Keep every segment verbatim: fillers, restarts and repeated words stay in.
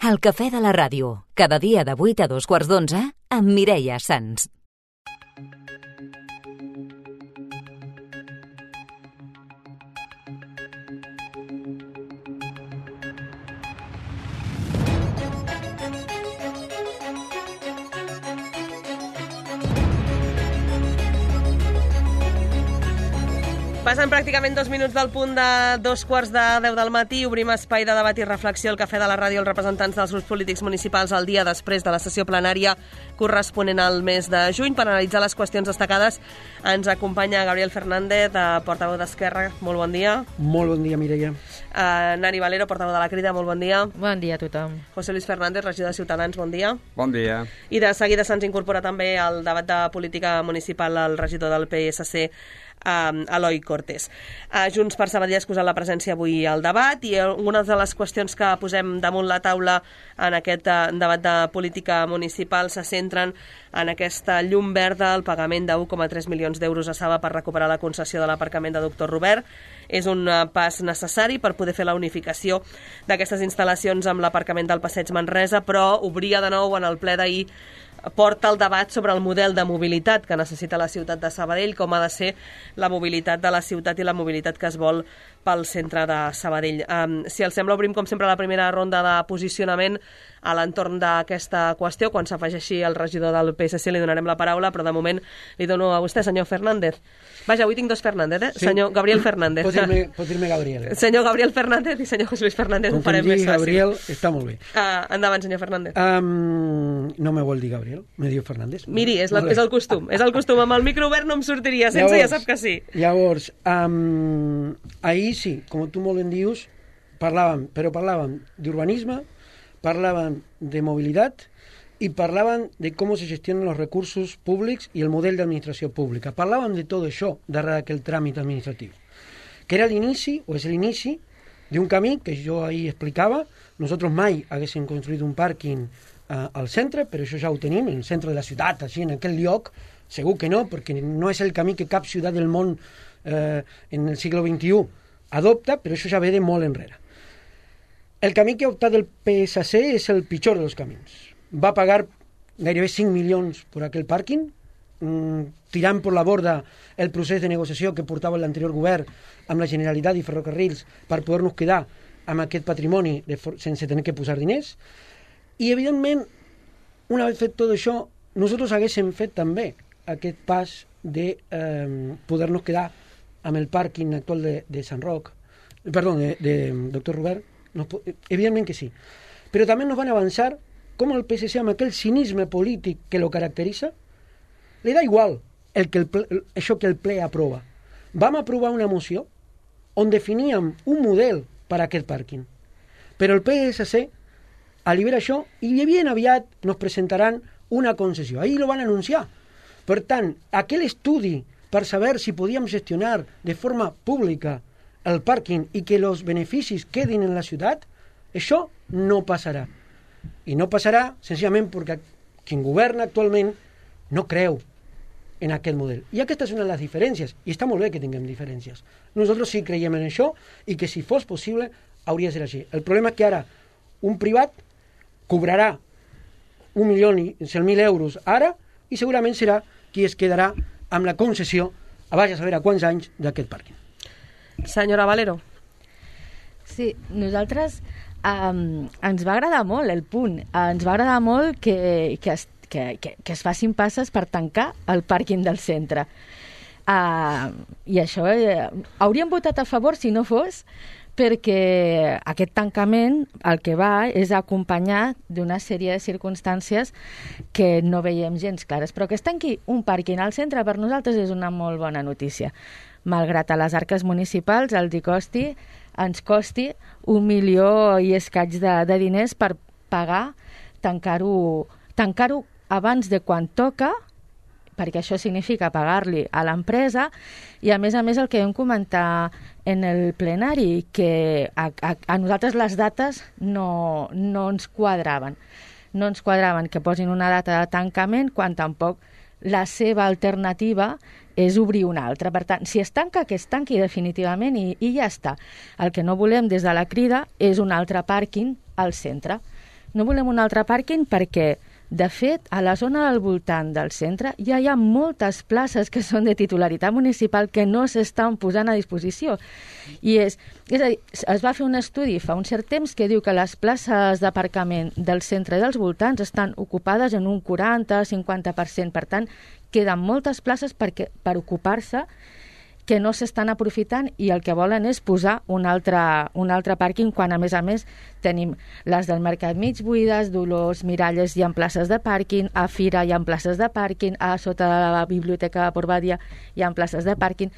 El cafè de la ràdio, cada dia de vuit a dos quarts d'onze, amb Mireia Sans. Passen pràcticament dos minuts del punt de dos quarts de deu del matí. Obrim espai de debat i reflexió al Cafè de la Ràdio. Els representants dels grups polítics municipals el dia després de la sessió plenària corresponent al mes de juny. Per analitzar les qüestions destacades ens acompanya Gabriel Fernández, portaveu d'Esquerra. Molt bon dia. Molt bon dia, Mireia. Uh, Nani Valero, portaveu de la Crida. Molt bon dia. Bon dia a tothom. José Luis Fernández, regidor de Ciutadans. Bon dia. Bon dia. I de seguida se'ns incorpora també al debat de política municipal el regidor del P S C, Uh, Eloi Cortés. Uh, Junts per Sabadell ha excusat la presència avui al debat i algunes de les qüestions que posem damunt la taula en aquest uh, debat de política municipal se centren en aquesta llum verda, el pagament de un coma tres milions d'euros a Saba per recuperar la concessió de l'aparcament de Doctor Robert. És un uh, pas necessari per poder fer la unificació d'aquestes instal·lacions amb l'aparcament del Passeig Manresa, però obria de nou en el ple d'ahir porta el debat sobre el model de mobilitat que necessita la ciutat de Sabadell, com ha de ser la mobilitat de la ciutat i la mobilitat que es vol pel centre de Sabadell. Um, si els sembla, obrim com sempre la primera ronda de posicionament a l'entorn d'aquesta qüestió. Quan s'afegeixi el regidor del P S C li donarem la paraula, però de moment li dono a vostè, senyor Fernández. Vaja, avui tinc dos Fernández, eh? Sí. Senyor Gabriel Fernández. Pot dir-me, pot dir-me Gabriel. Senyor Gabriel Fernández i senyor José Luis Fernández. Com ho farem que em més digui fàcil. Gabriel, està molt bé. Uh, endavant, senyor Fernández. Um, no me vol dir Gabriel, me diu Fernández. Miri, és, la, és el costum, és el costum. Amb el micro obert no em sortiria, sense llavors, ja sap que sí. Llavors, um, ahir sí, com tu molt ben dius, parlàvem, però parlàvem d'urbanisme, parlàvem de mobilitat y parlaban de cómo se gestionan los recursos públicos y el modelo de administración pública. Parlaven de tot això darrere d'aquell tràmit administratiu, que era l'inici, o és l'inici, d'un camí que jo ahir explicava. Nosaltres mai haguéssim construït un pàrquing eh, al centre, però això ja ho tenim, en el centre de la ciutat, així, en aquell lloc, segur que no, perquè no és el camí que cap ciutat del món eh, en el segle vint-i-u adopta, però això ja ve de molt enrere. El camí que ha optat el P S C és el pitjor dels camins. Va pagar gairebé cinc milions per aquell pàrquing, mmm, tirant per la borda el procés de negociació que portava l'anterior govern amb la Generalitat i Ferrocarrils per poder-nos quedar amb aquest patrimoni de for- sense tenir que posar diners. I, evidentment, una vegada fet tot això, nosaltres haguéssim fet també aquest pas de eh, poder-nos quedar amb el pàrquing actual de, de Sant Roc, perdó, de, de Doctor Robert. Nos, evidentment que sí. Però també nos van avançar com el P S C, amb aquell cinisme polític que lo caracteritza, li da igual el que el ple, això que el ple aprova. Vam aprovar una moció on definíem un model per a aquest pàrquing. Però el P S C allibera això i ben aviat nos presentaran una concessió. Ahir lo van anunciar. Per tant, aquell estudi per saber si podíem gestionar de forma pública el pàrquing i que els beneficis quedin en la ciutat, això no passarà. I no passarà senzillament perquè qui governa actualment no creu en aquest model. I aquesta és una de les diferències, i està molt bé que tinguem diferències. Nosaltres sí creiem en això i que si fos possible hauria de ser així. El problema és que ara un privat cobrarà un milió i cent mil euros ara i segurament serà qui es quedarà amb la concessió a vaja a saber a quants anys d'aquest pàrquing. Senyora Valero. Sí, nosaltres um, ens va agradar molt el punt. Ens va agradar molt que, que, es, que, que, que es facin passes per tancar el pàrquing del centre. Uh, I això eh, hauríem votat a favor si no fos perquè aquest tancament el que va és acompanyar d'una sèrie de circumstàncies que no veiem gens clares. Però que es tanqui un pàrquing al centre per nosaltres és una molt bona notícia. Malgrat a les arques municipals els hi costi, ens costi un milió i escaig de, de diners per pagar, tancar-ho tancar-ho abans de quan toca, perquè això significa pagar-li a l'empresa, i a més a més el que vam comentar en el plenari, que a, a, a nosaltres les dates no, no ens quadraven. No ens quadraven que posin una data de tancament quan tampoc la seva alternativa és obrir una altra. Per tant, si es tanca, que es tanqui definitivament i, i ja està. El que no volem des de la Crida és un altre pàrquing al centre, no volem un altre pàrquing perquè, de fet, a la zona del voltant del centre ja hi ha moltes places que són de titularitat municipal que no s'estan posant a disposició. I és, és a dir, es va fer un estudi fa un cert temps que diu que les places d'aparcament del centre i dels voltants estan ocupades en un quaranta a cinquanta per cent. Per tant, queden moltes places perquè, per ocupar-se que no s'estan aprofitant i el que volen és posar un altre, un altre pàrquing quan, a més a més, tenim les del Mercat mig buides, Dolors, Miralles, hi ha places de pàrquing, a Fira hi ha places de pàrquing, a sota de la Biblioteca de Port Badia hi ha places de pàrquing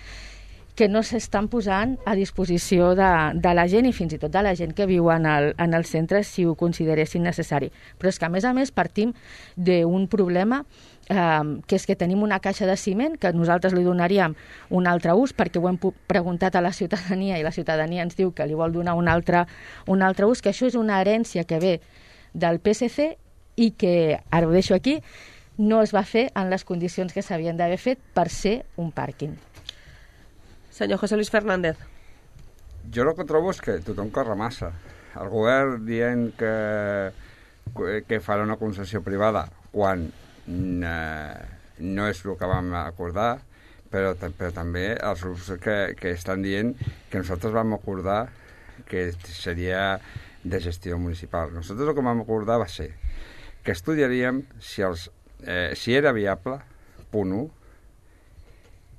que no s'estan posant a disposició de, de la gent i fins i tot de la gent que viu en el, en el centre si ho consideressin necessari. Però és que, a més a més, partim d'un problema Um, que és que tenim una caixa de ciment que nosaltres li donaríem un altre ús perquè ho hem preguntat a la ciutadania i la ciutadania ens diu que li vol donar un altre, un altre ús, que això és una herència que ve del P S C i que, ara ho deixo aquí, no es va fer en les condicions que s'havien d'haver fet per ser un pàrquing. Senyor José Luis Fernández. Jo el que trobo és que tothom corre massa. El govern dient que, que farà una concessió privada quan no és el que vam acordar, però, però també els grups que, que estan dient que nosaltres vam acordar que seria de gestió municipal. Nosaltres el que vam acordar va ser que estudiaríem si, els, eh, si era viable, punt u,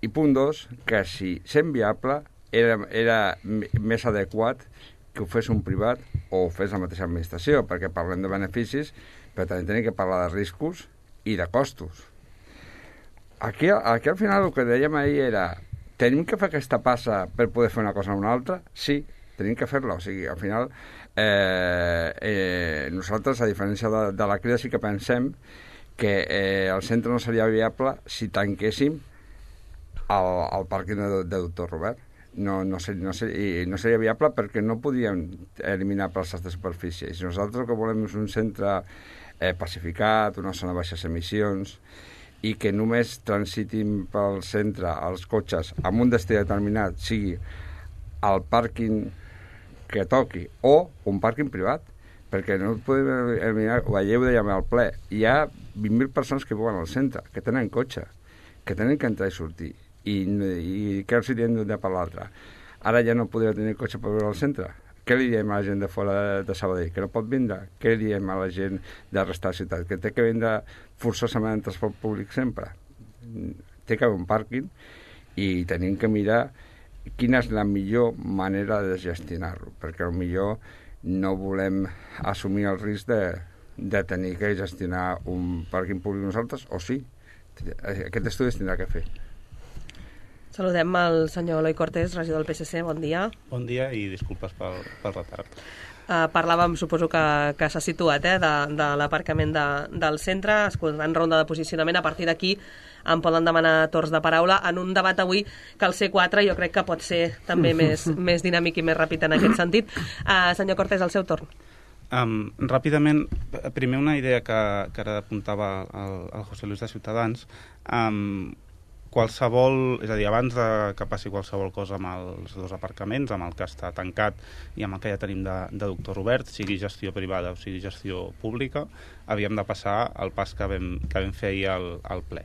i punt dos, que si sent viable era, era més adequat que ho fes un privat o ho fes la mateixa administració, perquè parlem de beneficis, però també tenim que parlar de riscos i de costos. Aquí, aquí al final el que dèiem ahir era tenim que fer aquesta passa per poder fer una cosa o una altra? Sí, tenim que fer-la. O sigui, al final eh, eh, nosaltres, a diferència de, de la crida, sí que pensem que eh, el centre no seria viable si tanquéssim el, el pàrquing de, de doctor Robert. No, no, ser, no, ser, i no seria viable perquè no podíem eliminar places de superfície. I si nosaltres el que volem és un centre Eh, pacificat, una zona de baixes emissions i que només transitin pel centre els cotxes amb un destí determinat, sigui el pàrquing que toqui o un pàrquing privat, perquè no podem eliminar, ho veieu dèiem al ple, hi ha vint mil persones que viuen al centre, que tenen cotxe, que tenen que entrar i sortir i, i que els diem d'un dia per l'altre. Ara ja no podria tenir cotxe per veure al centre. Què li diem a la gent de fora de, de Sabadell? Que no pot vindre? Què li diem a la gent de la resta de la ciutat? Que té que vindre forçosament en transport públic sempre? Té que haver un pàrquing i tenim que mirar quina és la millor manera de gestionar-lo, perquè potser no volem assumir el risc de, de tenir que gestionar un pàrquing públic nosaltres, o sí. Aquest estudi es tindrà que fer. Saludem el senyor Eloi Cortés, regidor del P S C. Bon dia. Bon dia i disculpes pel, pel retard. Uh, parlàvem, suposo que, que s'ha situat, eh, de, de l'aparcament de, del centre, escoltant ronda de posicionament. A partir d'aquí em poden demanar torns de paraula en un debat avui que el C quatre jo crec que pot ser també més, més dinàmic i més ràpid en aquest sentit. Uh, senyor Cortés, el seu torn. Um, ràpidament, primer una idea que, que ara apuntava el, el José Luis de Ciutadans. Um, qualsevol, és a dir, abans de que passi qualsevol cosa amb els dos aparcaments, amb el que està tancat i amb el que ja tenim de, de doctor Robert, sigui gestió privada o sigui gestió pública, havíem de passar el pas que vam, que vam fer ahir al, al ple.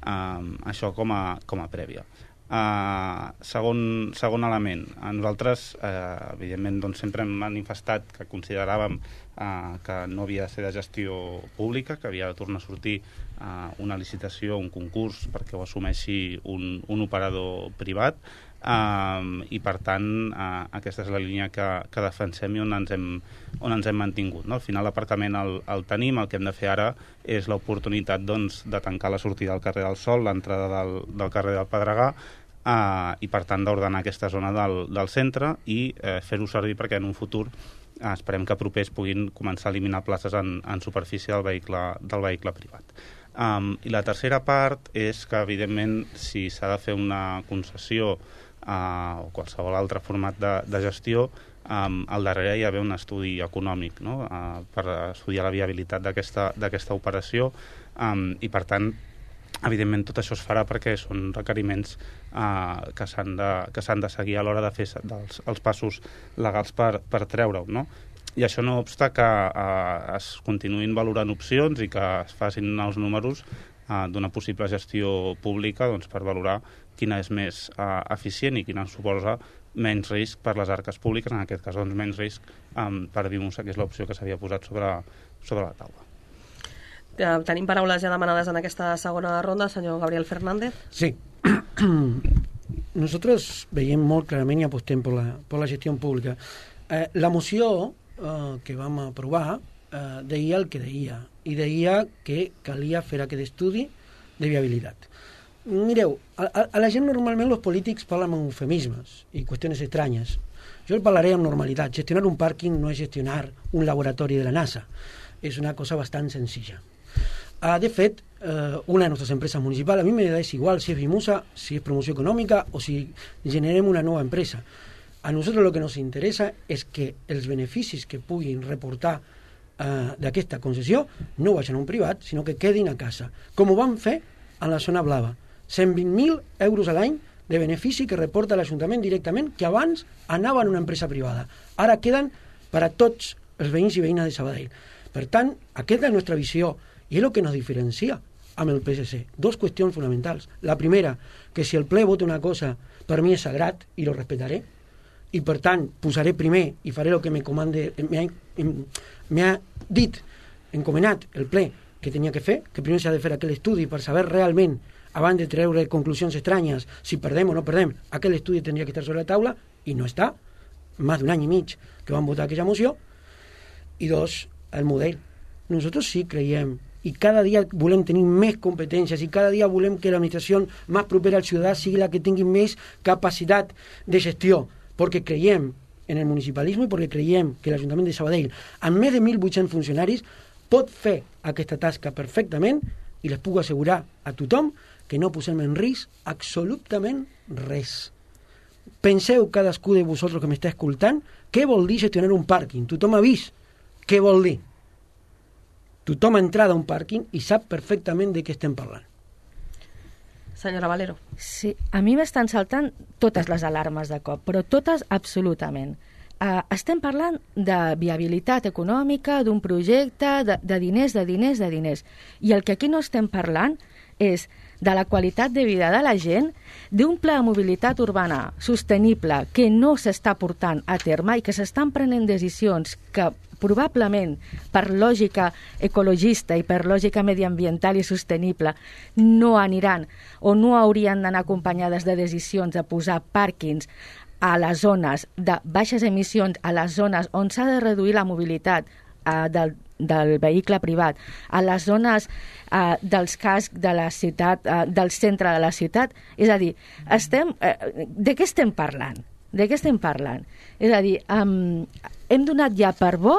Um, això com a, com a prèvia. Uh, segon, segon element, a nosaltres uh, evidentment doncs, sempre hem manifestat que consideràvem uh, que no havia de ser de gestió pública, que havia de tornar a sortir uh, una licitació, un concurs perquè ho assumeixi un, un operador privat, uh, i per tant uh, aquesta és la línia que, que defensem i on ens hem, on ens hem mantingut, no? Al final l'aparcament el, el tenim, el que hem de fer ara és l'oportunitat doncs, de tancar la sortida del carrer del Sol, l'entrada del, del carrer del Pedregà, Uh, i per tant d'ordenar aquesta zona del, del centre i uh, fer-ho servir perquè en un futur uh, esperem que propers puguin començar a eliminar places en, en superfície del vehicle, del vehicle privat. Um, I la tercera part és que evidentment si s'ha de fer una concessió uh, o qualsevol altre format de, de gestió, um, al darrere hi ha un estudi econòmic, no? uh, per estudiar la viabilitat d'aquesta operació, um, i per tant evidentment tot això es farà perquè són requeriments uh, que s'han de, que s'han de seguir a l'hora de fer dels, els passos legals per, per treure-ho, no? I això no obsta que eh, es continuïn valorant opcions i que es facin els números eh, d'una possible gestió pública doncs, per valorar quina és més eh, eficient i quina suposa menys risc per les arques públiques, en aquest cas doncs, menys risc eh, per Vimusa, que és l'opció que s'havia posat sobre, sobre la taula. Eh, tenim paraules ja demanades en aquesta segona ronda, senyor Gabriel Fernández. Sí. Nosotros veiem molt clarament i apostem per la, per la gestió pública. Eh, la moció eh, que vam aprovar eh, deia el que deia, i deia que calia fer aquest estudi de viabilitat. Mireu, a, a, a la gent normalment els polítics parlen amb eufemismes i qüestions estranyes. Jo el parlaré amb normalitat. Gestionar un pàrquing no és gestionar un laboratori de la NASA. És una cosa bastant senzilla. Uh, de fet, uh, una de nuestras empresas municipales, a mí me da igual si es Vimusa, si es promoción económica o si generemos una nueva empresa. A nosotros lo que nos interesa és que els beneficis que puguin reportar uh, d'aquesta concessió no vagin a un privat, sinó que quedin a casa. Com ho vam fer a la zona blava. cent vint mil euros a l'any de benefici que reporta l'Ajuntament directament, que abans anaven a una empresa privada. Ara queden per a tots els veïns i veïnes de Sabadell. Per tant, aquesta és la nostra visió i és el que nos diferencia amb el P S C. Dos qüestions fonamentals. La primera, que si el ple vota una cosa, per mi és sagrat i lo respetaré, i per tant posaré primer i faré el que me comande, m'ha dit, encomanat el ple que tenia que fer, que primer s'ha de fer aquell estudi per saber realment, abans de treure conclusions estranyes, si perdem o no perdem, aquell estudi tindria que estar sobre la taula, i no està, més d'un any i mig que van votar aquella moció. I dos, el model. Nosaltres sí creiem i cada dia volem tenir més competències i cada dia volem que l'administració més propera al ciutadà sigui la que tingui més capacitat de gestió, perquè creiem en el municipalisme i perquè creiem que l'Ajuntament de Sabadell, amb més de mil vuit-cents funcionaris, pot fer aquesta tasca perfectament i les puc assegurar a tothom que no posem en risc absolutament res. Penseu cadascú de vosaltres que m'està escoltant què vol dir gestionar un pàrquing. Tothom ha vist què vol dir. Tothom ha entrat a un pàrquing i sap perfectament de què estem parlant. Senyora Valero. Sí, a mi m'estan saltant totes les alarmes de cop, però totes absolutament. Uh, estem parlant de viabilitat econòmica, d'un projecte, de, de diners, de diners, de diners. I el que aquí no estem parlant és de la qualitat de vida de la gent, d'un pla de mobilitat urbana sostenible que no s'està portant a terme i que s'estan prenent decisions que probablement per lògica ecologista i per lògica mediambiental i sostenible no aniran o no haurien d'anar acompanyades de decisions de posar pàrquings a les zones de baixes emissions, a les zones on s'ha de reduir la mobilitat eh, del, del vehicle privat, a les zones eh, dels cascs de la ciutat, eh, del centre de la ciutat. És a dir, estem, eh, de què estem parlant? De què estem parlant? És a dir, um, hem donat ja per bo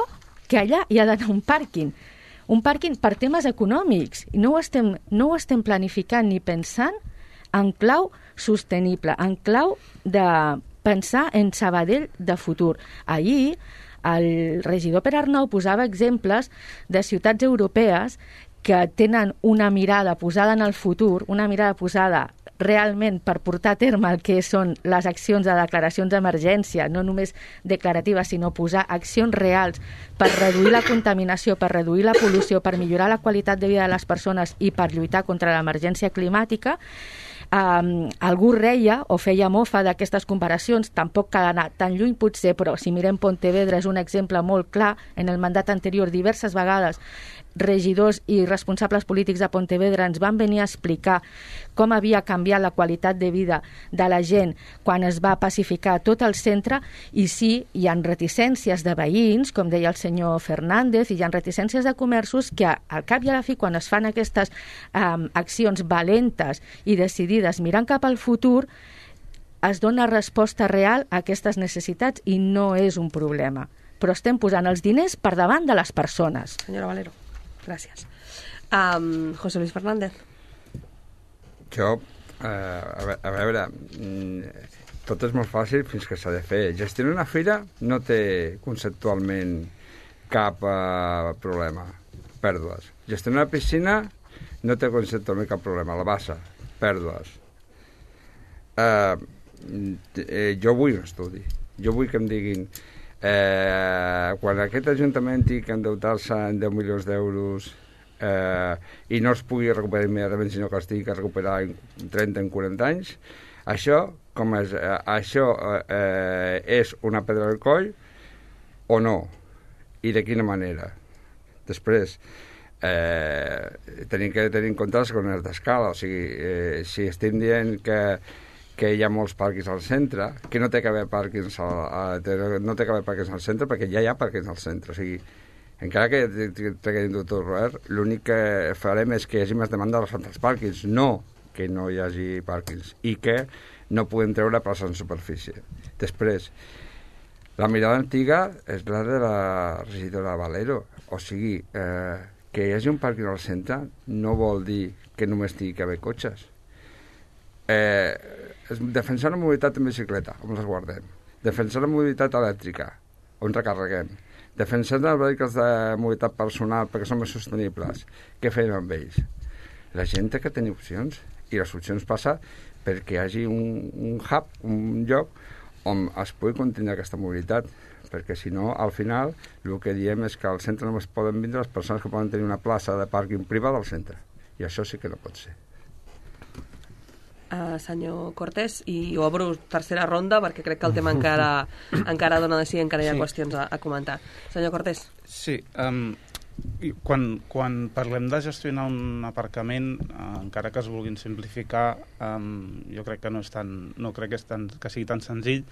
que allà hi ha d'anar un pàrquing. Un pàrquing per temes econòmics. I no ho estem, no ho estem planificant ni pensant en clau sostenible, en clau de pensar en Sabadell de futur. Ahir, el regidor Pere Arnau posava exemples de ciutats europees que tenen una mirada posada en el futur, una mirada posada realment per portar a terme el que són les accions de declaracions d'emergència, no només declaratives, sinó posar accions reals per reduir la contaminació, per reduir la pol·lució, per millorar la qualitat de vida de les persones i per lluitar contra l'emergència climàtica. Um, algú reia o feia mofa d'aquestes comparacions, tampoc cal anar tan lluny potser, però si mirem Pontevedra és un exemple molt clar. En el mandat anterior diverses vegades regidors i responsables polítics de Pontevedra ens van venir a explicar com havia canviat la qualitat de vida de la gent quan es va pacificar tot el centre. I sí, hi ha reticències de veïns, com deia el senyor Fernández, i hi ha reticències de comerços que al cap i a la fi, quan es fan aquestes um, accions valentes i decidides mirant cap al futur, es dona resposta real a aquestes necessitats i no és un problema. Però estem posant els diners per davant de les persones. Senyora Valero, gràcies. Um, José Luis Fernández. Jo, eh, a, a veure, tot és molt fàcil fins que s'ha de fer. Gestionar una fira no té conceptualment cap eh, problema, pèrdues. Gestionar una piscina no té conceptualment cap problema, la bassa, pèrdues. Eh, eh, jo vull un estudi. Jo vull que em diguin Eh, quan aquest Ajuntament tingui que endeutar-se en deu milions d'euros eh, i no es pugui recuperar immediatament, sinó que es tingui que recuperar en trenta, en quaranta anys, això, com és, eh, això eh, és una pedra al coll o no? I de quina manera? Després, eh, tenim que tenir en compte les economies d'escala, o sigui, eh, si estem dient que que hi ha molts pàrquings al centre, que no té que haver pàrquings al, a, no té que haver pàrquings al centre, perquè ja hi ha pàrquings al centre. O sigui, encara que treguin doctor Robert, l'únic que farem és que hi hagi més demanda als altres pàrquings, no que no hi hagi pàrquings, i que no podem treure places en superfície. Després, la mirada antiga és la de la regidora Valero. O sigui, eh, que hi hagi un pàrquing al centre no vol dir que només tingui que haver cotxes. Eh, defensar la mobilitat en bicicleta, on les guardem. Defensar la mobilitat elèctrica, on recarreguem. Defensar els vehicles de mobilitat personal perquè són més sostenibles. Què fem amb ells? La gent té que tenir opcions, i les opcions passa perquè hi hagi un, un hub, un lloc on es pugui continuar aquesta mobilitat, perquè si no, al final, el que diem és que al centre només poden vindre les persones que poden tenir una plaça de pàrquing privada al centre, i això sí que no pot ser. Uh, senyor Cortés, i obro tercera ronda perquè crec que el tema encara encara dona de si, encara hi ha sí. qüestions a, a comentar. Senyor Cortés. Sí, um, quan, quan parlem de gestionar un aparcament, uh, encara que es vulguin simplificar, um, jo crec que no és tan, no crec que, és tan, que sigui tan senzill,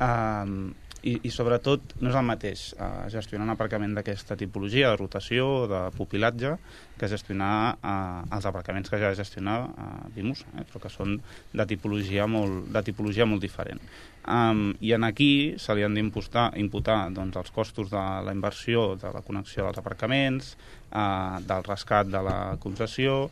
um, i, i sobretot no és el mateix uh, gestionar un aparcament d'aquesta tipologia, de rotació, de pupilatge, que gestionar uh, els aparcaments que ja gestionar uh, Vimus, eh, però que són de tipologia molt, de tipologia molt diferent. Um, I en aquí se li han d'imputar imputar, doncs, els costos de la inversió, de la connexió dels aparcaments, uh, del rescat de la concessió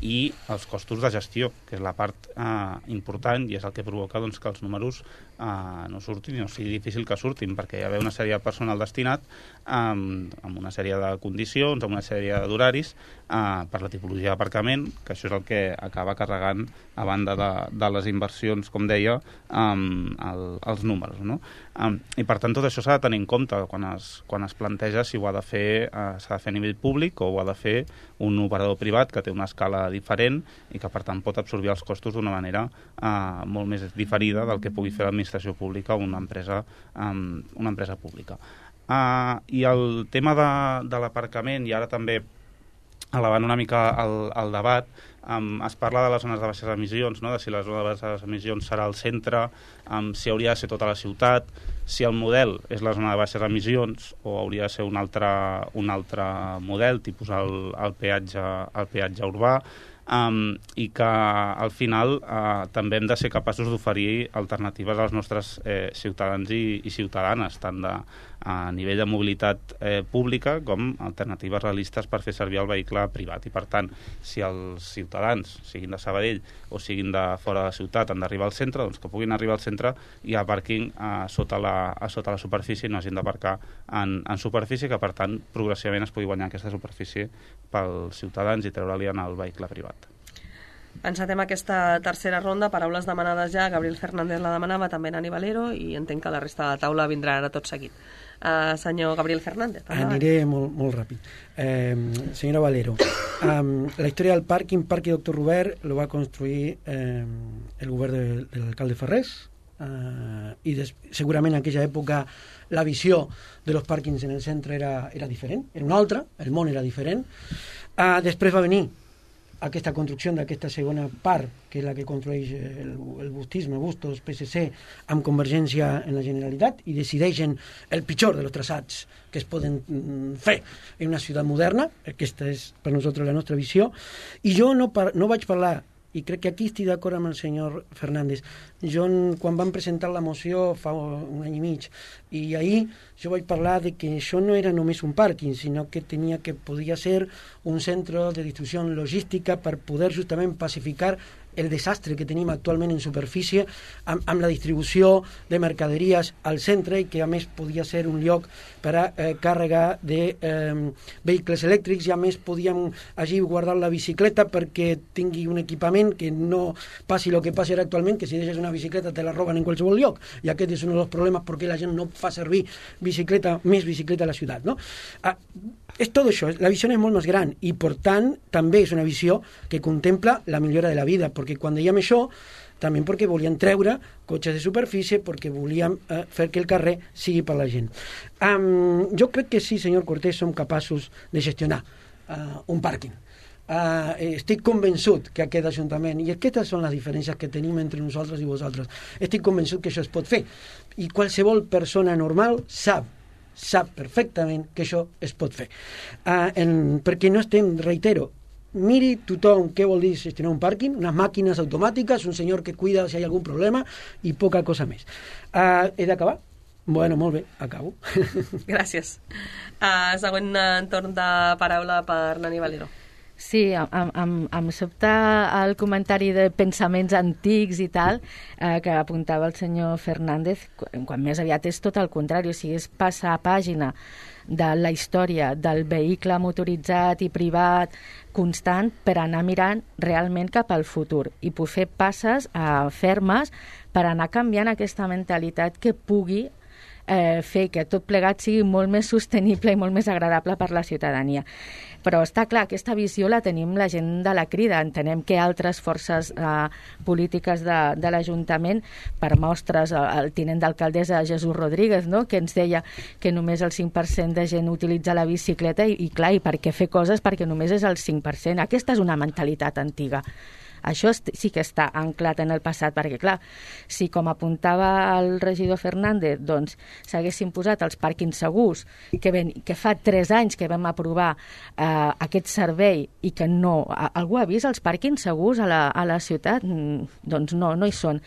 i els costos de gestió, que és la part uh, important i és el que provoca, doncs, que els números uh, no surtin i no sigui difícil que surtin, perquè hi ha una sèrie de personal destinat um, amb una sèrie de condicions, amb una sèrie d'horaris uh, per la tipologia d'aparcament, que això és el que acaba carregant, a banda de, de les inversions, com deia, um, el, els números, no? Um, I per tant tot això s'ha de tenir en compte quan es, quan es planteja si ho ha de fer uh, s'ha de fer a nivell públic o ho ha de fer un operador privat que té una escala diferent i que per tant pot absorbir els costos d'una manera uh, molt més diferida del que pugui fer l'administració pública o una empresa, um, una empresa pública. Uh, I el tema de, de l'aparcament, i ara també elevant una mica el, el debat, um, es parla de les zones de baixes emissions, no? De si la zona de baixes emissions serà al centre, um, si hauria de ser tota la ciutat, si el model és la zona de baixes emissions o hauria de ser un altre, un altre model, tipus el, el, peatge, el peatge urbà, um, i que al final uh, també hem de ser capaços d'oferir alternatives als nostres eh, ciutadans i, i ciutadanes, tant de a nivell de mobilitat eh, pública com alternatives realistes per fer servir el vehicle privat. I per tant, si els ciutadans, siguin de Sabadell o siguin de fora de la ciutat, han d'arribar al centre, doncs que puguin arribar al centre i a pàrquing a sota la, a sota la superfície i no hagin d'aparcar en, en superfície, que per tant progressivament es pugui guanyar aquesta superfície pels ciutadans i treure-li en el vehicle privat. Encetem aquesta tercera ronda, paraules demanades ja, Gabriel Fernández la demanava, també Nani Valero, i entenc que la resta de la taula vindrà ara tot seguit. Uh, senyor Gabriel Fernández. Aniré molt, molt ràpid. Eh, senyora Valero, um, la història del pàrquing, Parque Doctor Robert, lo va construir eh, el govern de, de l'alcalde Ferrés, uh, i des, segurament en aquella època la visió de los pàrquings en el centre era, era diferent, era una altra, el món era diferent. Uh, després va venir aquesta construcció d'aquesta segona part, que és la que construeix el, el bustisme, Bustos, P S C, amb Convergència en la Generalitat, i decideixen el pitjor de los traçats que es poden fer en una ciutat moderna. Aquesta és per nosaltres la nostra visió. I jo no, par no vaig parlar, i crec que aquí estic d'acord amb el senyor Fernández. Jo, quan van presentar la moció fa un any i mig, i ahir jo vaig parlar de que això no era només un pàrquing, sinó que tenia que podia ser un centre de distribució logística per poder justament pacificar el desastre que tenim actualment en superfície amb, amb la distribució de mercaderies al centre, i que a més podia ser un lloc per a eh, càrrega de eh, vehicles elèctrics, i a més podíem allí guardar la bicicleta perquè tingui un equipament que no passi el que passi ara actualment, que si deixes una bicicleta te la roben en qualsevol lloc, i aquest és un dels problemes perquè la gent no fa servir bicicleta, més bicicleta a la ciutat, no? Ah, és tot això, la visió és molt més gran i, per tant, també és una visió que contempla la millora de la vida, perquè quan dèiem això, també perquè volien treure cotxes de superfície, perquè volíem eh, fer que el carrer sigui per la gent. Um, jo crec que sí, senyor Cortés, som capaços de gestionar uh, un pàrquing. Uh, estic convençut que aquest Ajuntament, i aquestes són les diferències que tenim entre nosaltres i vosaltres, estic convençut que això es pot fer, i qualsevol persona normal sap sap perfectament que això es pot fer, uh, en, perquè no estem, reitero, miri tothom què vol dir gestionar un pàrquing, unes màquines automàtiques, un senyor que cuida si hi ha algun problema i poca cosa més. Uh, he d'acabar? Bueno, molt bé, acabo. Gràcies. Uh, següent torn de paraula per Nani Valero. Sí, em, em, em sobta el comentari de pensaments antics i tal, eh, que apuntava el senyor Fernández, quan, quan més aviat és tot el contrari, o sigui, és passar a pàgina de la història del vehicle motoritzat i privat constant per anar mirant realment cap al futur i poder fer passes eh, fermes per anar canviant aquesta mentalitat que pugui eh, fer que tot plegat sigui molt més sostenible i molt més agradable per la ciutadania. Però està clar, aquesta visió la tenim la gent de la Crida. Entenem que altres forces eh, polítiques de, de l'Ajuntament, per mostres, el tinent d'alcaldessa Jesús Rodríguez, no?, que ens deia que només el cinc per cent de gent utilitza la bicicleta i, i clar, i per què fer coses? Perquè només és el cinc per cent. Aquesta és una mentalitat antiga. Això sí que està anclat en el passat, perquè, clar, si, com apuntava el regidor Fernández, doncs s'haguessin posat els pàrquings segurs, que, ven, que fa tres anys que vam aprovar eh, aquest servei i que no... Algú ha vist els pàrquings segurs a la, a la ciutat? Doncs no, no hi són.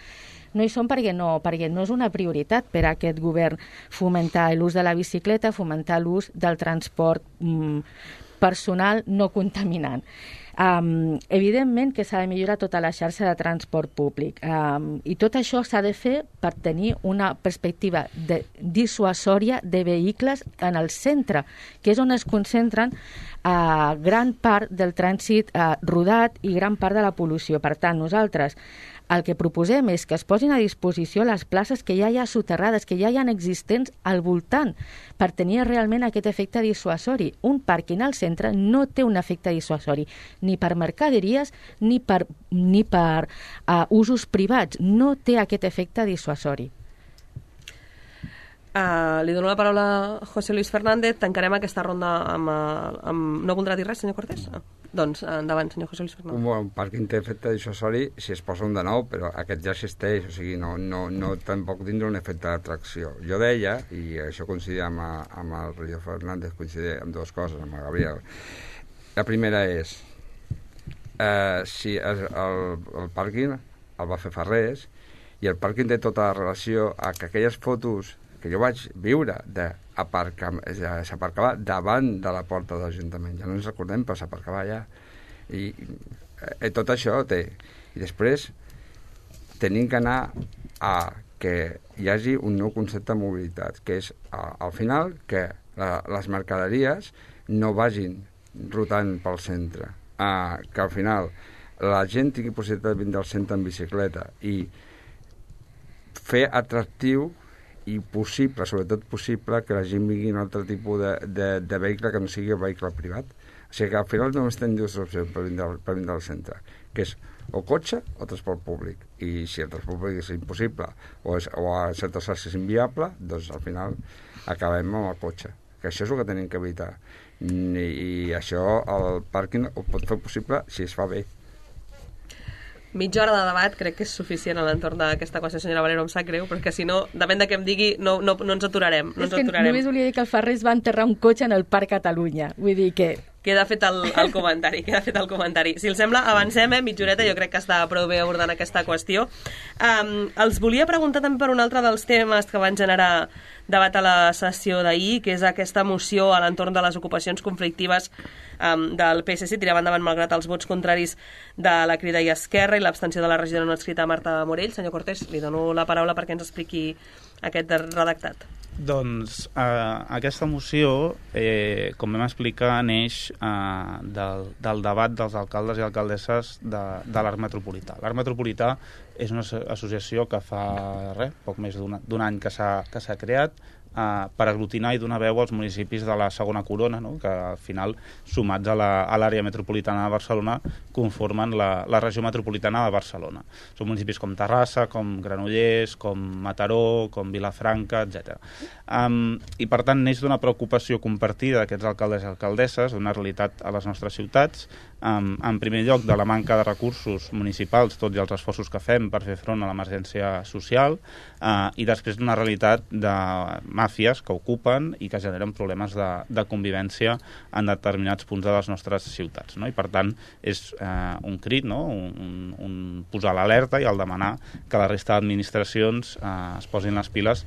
No hi són perquè no, perquè no és una prioritat per a aquest govern fomentar l'ús de la bicicleta, fomentar l'ús del transport mm, personal no contaminant. Um, evidentment que s'ha de millorar tota la xarxa de transport públic um, i tot això s'ha de fer per tenir una perspectiva de, dissuasòria de vehicles en el centre, que és on es concentren uh, gran part del trànsit uh, rodat i gran part de la pol·lució. Per tant, nosaltres el que proposem és que es posin a disposició les places que ja hi ha soterrades, que ja hi ha existents al voltant, per tenir realment aquest efecte dissuasori. Un pàrquing al centre no té un efecte dissuasori, ni per mercaderies ni per, ni per uh, usos privats. No té aquest efecte dissuasori. Uh, li dono la paraula a José Luis Fernández. Tancarem aquesta ronda amb... amb... No voldrà dir res, senyor Cortés? Ah. Doncs endavant, senyor José Luis Fernández. Un, un pàrquing té efecte dissuasori si es posa un de nou, però aquest ja existeix, o sigui, no, no, no tampoc tindrà un efecte d'atracció. Jo deia, i això coincidia amb, amb el regidor Fernández, coincidia amb dues coses, amb el Gabriel. La primera és, eh, si el, el, el pàrquing el va fer Ferrés, i el pàrquing té tota la relació a que aquelles fotos que jo vaig viure de s'aparcava davant de la porta de l'Ajuntament, ja no ens recordem, però s'aparcava allà, i eh, tot això té. I després tenim que anar a que hi hagi un nou concepte de mobilitat, que és a, al final que la, les mercaderies no vagin rotant pel centre, a, que al final la gent tingui possibilitat de vindre al centre en bicicleta i fer atractiu i possible, sobretot possible, que la gent vingui un altre tipus de, de, de vehicle que no sigui el vehicle privat. O sigui que al final només tenim dues opcions per vindre, per vindre al centre, que és o cotxe o transport públic. I si el transport públic és impossible o, és, o a certes xarxes és inviable, doncs al final acabem amb el cotxe. Que això és el que tenim que evitar. I, i això el pàrquing ho pot fer possible si es fa bé. Mitja hora de debat crec que és suficient a l'entorn d'aquesta qüestió, senyora Valero, em sap greu, perquè si no, depèn de què em digui, no, no, no ens aturarem. No és ens que aturarem. Només volia dir que el Ferrés va enterrar un cotxe en el Parc Catalunya. Vull dir que... Queda fet el, el comentari, queda fet el comentari. Si els sembla, avancem, eh? Mitja horeta, jo crec que està prou bé abordant aquesta qüestió. Um, els volia preguntar també per un altre dels temes que van generar debat a la sessió d'ahir, que és aquesta moció a l'entorn de les ocupacions conflictives um, del P S C, tirava endavant malgrat els vots contraris de la Crida i Esquerra i l'abstenció de la regidora no adscrita Marta Morell. Senyor Cortés, li dono la paraula perquè ens expliqui aquest redactat. Doncs eh, aquesta moció, eh, com vam explicar, neix eh, del, del debat dels alcaldes i alcaldesses de, de l'Arc Metropolità. L'Arc Metropolità és una associació que fa res, poc més d'un any que s'ha que s'ha creat, eh, per aglutinar i donar veu als municipis de la segona corona, no? Que al final, sumats a l'àrea metropolitana de Barcelona, conformen la, la regió metropolitana de Barcelona. Són municipis com Terrassa, com Granollers, com Mataró, com Vilafranca, etcètera. Um, I per tant neix d'una preocupació compartida d'aquests alcaldes i alcaldesses, d'una realitat a les nostres ciutats, um, en primer lloc de la manca de recursos municipals, tot i els esforços que fem per fer front a l'emergència social, uh, i després d'una realitat de màfies que ocupen i que generen problemes de, de convivència en determinats punts de les nostres ciutats, no? I per tant és eh, un crit, no? un, un posar l'alerta i el demanar que la resta d'administracions eh, es posin les piles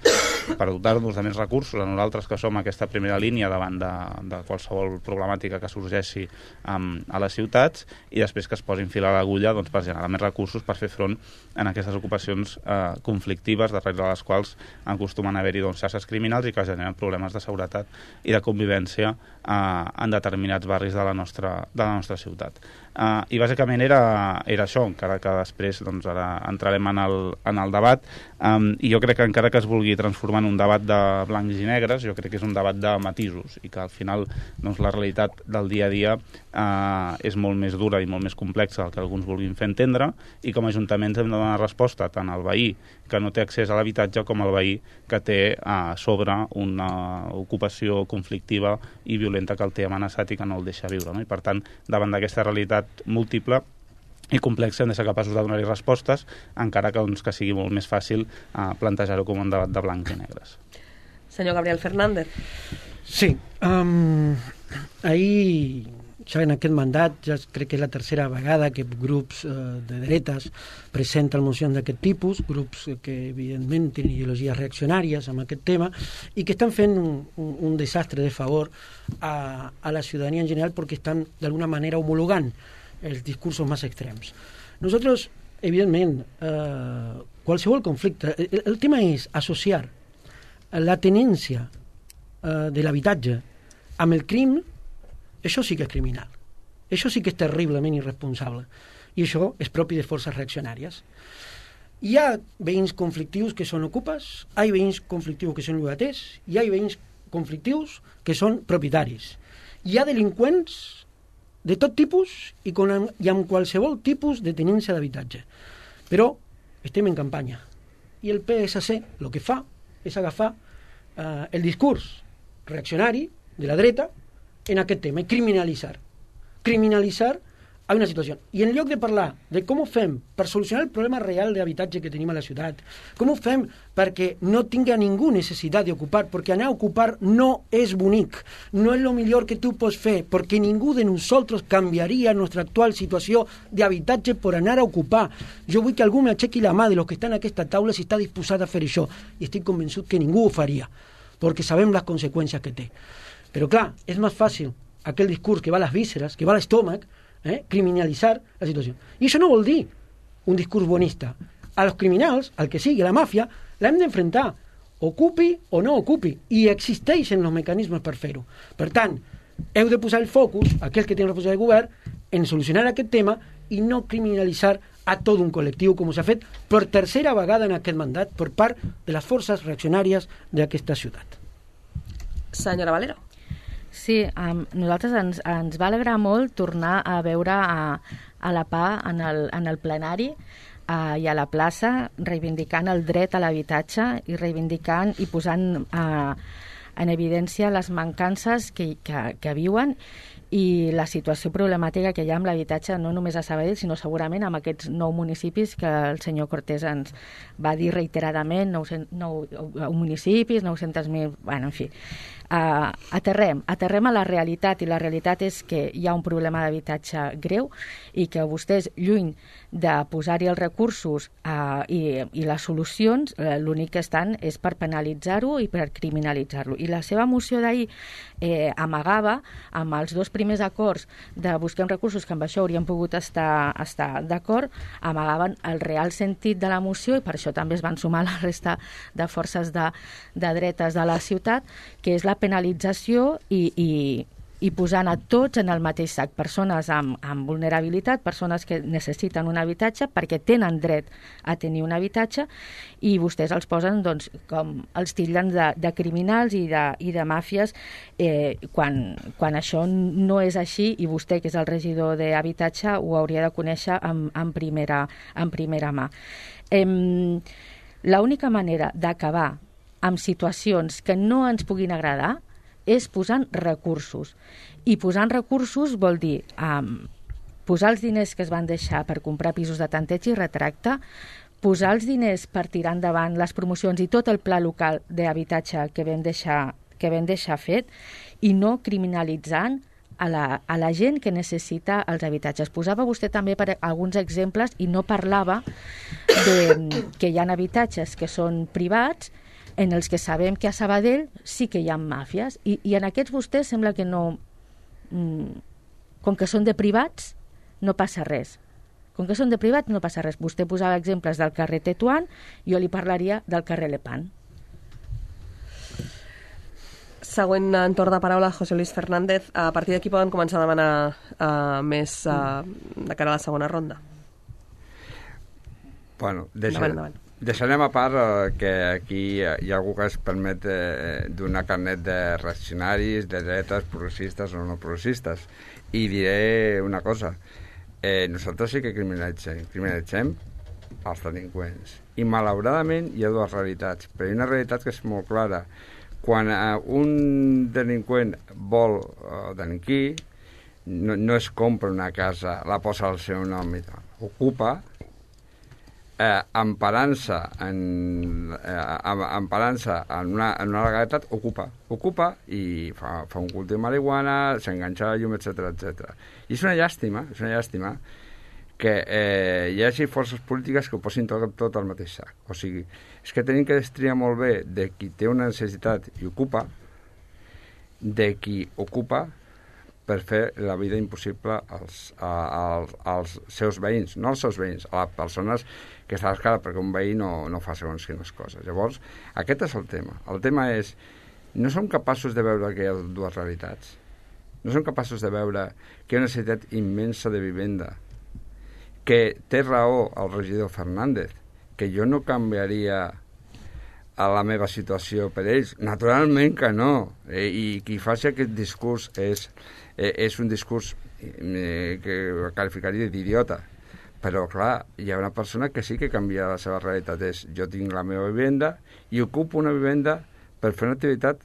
per dotar-nos de més recursos a nosaltres que som aquesta primera línia davant de, de qualsevol problemàtica que sorgeixi um, a les ciutats, i després que es posin fil a l'agulla, doncs, per generar més recursos per fer front en aquestes ocupacions eh, conflictives, darrere de les quals acostumen a haver-hi, doncs, xarxes criminals i que generen problemes de seguretat i de convivència eh, en determinats barris de la nostra, de la nostra ciutat. Uh, I bàsicament era, era això, encara que després doncs, ara entrarem en el, en el debat, um, i jo crec que encara que es vulgui transformar en un debat de blancs i negres, jo crec que és un debat de matisos, i que al final doncs, la realitat del dia a dia uh, és molt més dura i molt més complexa del que alguns vulguin fer entendre, i com a ajuntaments hem de donar resposta tant al veí que no té accés a l'habitatge com al veí que té a sobre una ocupació conflictiva i violenta que el té amenaçat i que no el deixa viure, no? I per tant, davant d'aquesta realitat múltiple i complexa hem de ser capaços de donar-hi respostes, encara que, doncs, que sigui molt més fàcil eh, plantejar-ho com un debat de blancs i negres. Senyor Gabriel Fernández. Sí, um, ahir ja en aquest mandat, ja crec que és la tercera vegada que grups eh, de dretes presenten mocions d'aquest tipus, grups que evidentment tenen ideologies reaccionàries amb aquest tema i que estan fent un, un, un desastre de favor a, a la ciutadania en general perquè estan d'alguna manera homologant els discursos més extrems. Nosaltres, evidentment, eh, qualsevol conflicte, el, el tema és associar la tenència eh, de l'habitatge amb el crim. Això sí que és criminal. Això sí que és terriblement irresponsable. I això és propi de forces reaccionàries. Hi ha veïns conflictius que són ocupes, hi ha veïns conflictius que són llogaters, hi ha veïns conflictius que són propietaris. Hi ha delinqüents de tot tipus i, con, i amb qualsevol tipus de tenència d'habitatge. Però estem en campanya. I el P S C el que fa és agafar eh, el discurs reaccionari de la dreta en aquest tema, i criminalitzar. Criminalitzar a una situació. I en lloc de parlar de com ho fem per solucionar el problema real d'habitatge que tenim a la ciutat, com ho fem perquè no tinga ningú necessitat d'ocupar, perquè anar a ocupar no és bonic, no és el millor que tu pots fer, perquè ningú de nosaltres canviaria nostra actual situació d'habitatge per anar a ocupar. Jo vull que algú m'aixequi la mà de los que estan a aquesta taula si està disposat a fer això, i estic convençut que ningú ho faria, perquè sabem les conseqüències que té. Però clar, és més fàcil aquell discurs que va a les vísceres, que va a l'estómac, eh, criminalitzar la situació. I això no vol dir un discurs bonista. A los criminals, al que sigui, la màfia, l'hem d'enfrontar, ocupi o no ocupi, i existeixen els mecanismes per fer-ho. Per tant, heu de posar el focus, aquells que tenen responsabilitat de govern, en solucionar aquest tema i no criminalitzar a tot un col·lectiu, com s'ha fet per tercera vegada en aquest mandat per part de les forces reaccionàries d'aquesta ciutat. Senyora Valero. Sí, um, nosaltres ens, ens va alegrar molt tornar a veure a, a la P A en el, en el plenari uh, i a la plaça reivindicant el dret a l'habitatge i reivindicant i posant uh, en evidència les mancances que, que, que viuen i la situació problemàtica que hi ha amb l'habitatge no només a Sabadell, sinó segurament amb aquests nou municipis que el senyor Cortés ens va dir reiteradament, nou, nou, nou municipis, nou-cents mil, bueno, en fi. Uh, aterrem, aterrem a la realitat, i la realitat és que hi ha un problema d'habitatge greu i que vostès, lluny de posar-hi els recursos uh, i, i les solucions, uh, l'únic que estan és per penalitzar-ho i per criminalitzar-lo. I la seva moció d'ahir eh, amagava, amb els dos primers acords de buscar recursos, que amb això haurien pogut estar, estar d'acord, amagaven el real sentit de la moció, i per això també es van sumar la resta de forces de, de dretes de la ciutat, que és la penalització i, i, i posant a tots en el mateix sac, persones amb, amb vulnerabilitat, persones que necessiten un habitatge perquè tenen dret a tenir un habitatge, i vostès els posen, doncs, com els titllen de, de criminals i de, i de màfies, eh, quan, quan això no és així, i vostè, que és el regidor d'habitatge, ho hauria de conèixer en, en, primera, en primera mà. Eh, l'única manera d'acabar amb situacions que no ens puguin agradar és posant recursos. I posant recursos vol dir um, posar els diners que es van deixar per comprar pisos de tanteig i retracte, posar els diners per tirar endavant les promocions i tot el pla local d'habitatge que vam deixar, que vam deixar fet, i no criminalitzant a la, a la gent que necessita els habitatges. Posava vostè també per alguns exemples i no parlava de que hi ha habitatges que són privats en els que sabem que a Sabadell sí que hi ha màfies, i, i en aquests vostès sembla que no... Mm, com que són de privats, no passa res. Com que són de privats, no passa res. Vostè posava exemples del carrer Tetuán, jo li parlaria del carrer Lepant. Següent en torn de paraula, José Luis Fernández. A partir d'aquí poden començar a demanar uh, més uh, de cara a la segona ronda. Bueno, deixa... Endavant, endavant. Deixarem a part eh, que aquí hi ha algú que es permet eh, donar carnet de reaccionaris, de dretes, progressistes o no progressistes. I diré una cosa. Eh, nosaltres sí que criminalitzem, criminalitzem els delinqüents. I malauradament hi ha dues realitats, però hi ha una realitat que és molt clara. Quan eh, un delinqüent vol eh, delinquir, no, no es compra una casa, la posa al seu nom i tal. Ocupa, Eh, emparant-se en, eh, emparant-se en, una, en una legalitat, ocupa, ocupa i fa, fa un cultiu de marihuana, s'enganxa a la llum, etcètera, etcètera. I és una llàstima, és una llàstima que eh, hi hagi forces polítiques que ho posin tot, tot al mateix sac. O sigui, és que tenim que destriar molt bé de qui té una necessitat i ocupa, de qui ocupa per fer la vida impossible als, als, als seus veïns, no als seus veïns, a les persones que està a l'escala, perquè un veí no, no fa segons quines coses. Llavors, aquest és el tema. El tema és, no som capaços de veure que hi ha dues realitats. No som capaços de veure que hi ha una necessitat immensa de vivenda, que té raó el regidor Fernández, que jo no canviaria a la meva situació per ells. Naturalment que no. Eh, I qui faci aquest discurs és, eh, és un discurs eh, que qualificaria d'idiota. Però, clar, hi ha una persona que sí que canvia la seva realitat. És, jo tinc la meva vivenda i ocupo una vivenda per fer una activitat,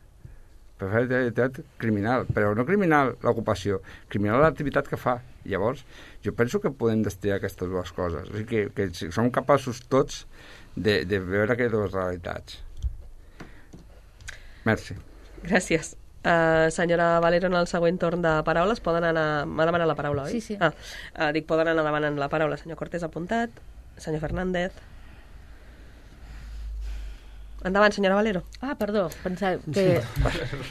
per fer una activitat criminal. Però no criminal l'ocupació, criminal l'activitat que fa. Llavors, jo penso que podem destriar aquestes dues coses. O sigui que, que som capaços tots de, de veure aquestes dues realitats. Merci. Gràcies. Uh, senyora Valero, en el següent torn de paraules poden anar... M'ha demanat la paraula, oi? Sí, sí. Ah, uh, dic, poden anar demanant la paraula. Senyor Cortés, apuntat. Senyor Fernández. Endavant, senyora Valero. Ah, perdó, pensava que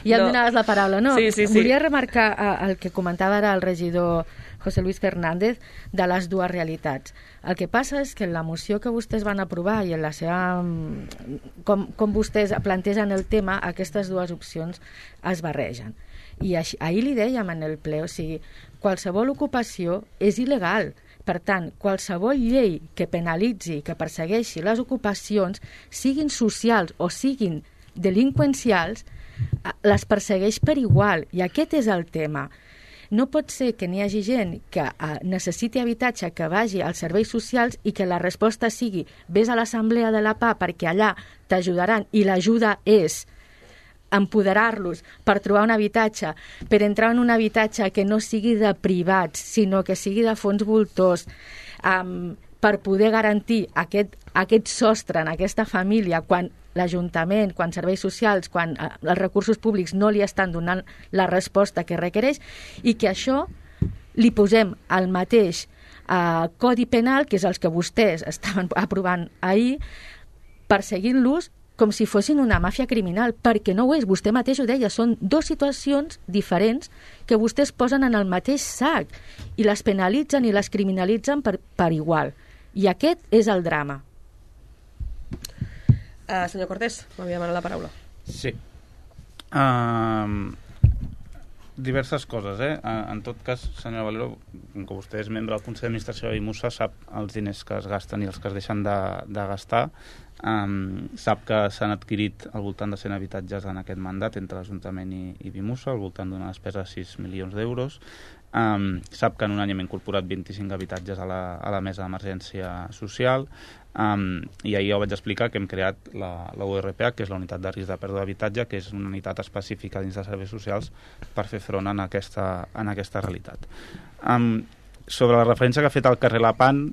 ja em No. donaves la paraula. No, Sí, sí, sí. volia remarcar uh, el que comentava ara el regidor José Luis Fernández de les dues realitats. El que passa és que en la moció que vostès van aprovar i en la seva... Com, com vostès plantegen el tema, aquestes dues opcions es barregen. I així, ahir li dèiem en el ple, o sigui, qualsevol ocupació és il·legal. Per tant, qualsevol llei que penalitzi, que persegueixi les ocupacions, siguin socials o siguin delinqüencials, les persegueix per igual. I aquest és el tema. No pot ser que n'hi hagi gent que uh, necessiti habitatge, que vagi als serveis socials i que la resposta sigui vés a l'assemblea de la P A perquè allà t'ajudaran, i l'ajuda és empoderar-los per trobar un habitatge, per entrar en un habitatge que no sigui de privats, sinó que sigui de fons voltors, um, per poder garantir aquest, aquest sostre en aquesta família quan l'Ajuntament, quan serveis socials, quan eh, els recursos públics no li estan donant la resposta que requereix, i que això li posem al mateix eh, Codi Penal, que és els que vostès estaven aprovant ahir, perseguint-los com si fossin una màfia criminal, perquè no ho és, vostè mateix ho deia, són dues situacions diferents que vostès posen en el mateix sac i les penalitzen i les criminalitzen per, per igual. I aquest és el drama. Uh, senyor Cortés, m'havia demanat la paraula. Sí. Um, diverses coses, eh? En tot cas, senyora Valero, com que vostè és membre del Consell d'Administració de Bimusa, sap els diners que es gasten i els que es deixen de, de gastar. Um, sap que s'han adquirit al voltant de cent habitatges en aquest mandat entre l'Ajuntament i, i Bimusa, al voltant d'una despesa de sis milions d'euros. Um, sap que en un any hem incorporat vint-i-cinc habitatges a la, a la mesa d'emergència social. Um, i ahir ja ho vaig explicar que hem creat la, la U R P H, que és la unitat de risc de pèrdua d'habitatge, que és una unitat específica dins de serveis socials per fer front en aquesta, en aquesta realitat. Um, sobre la referència que ha fet al carrer Lapan,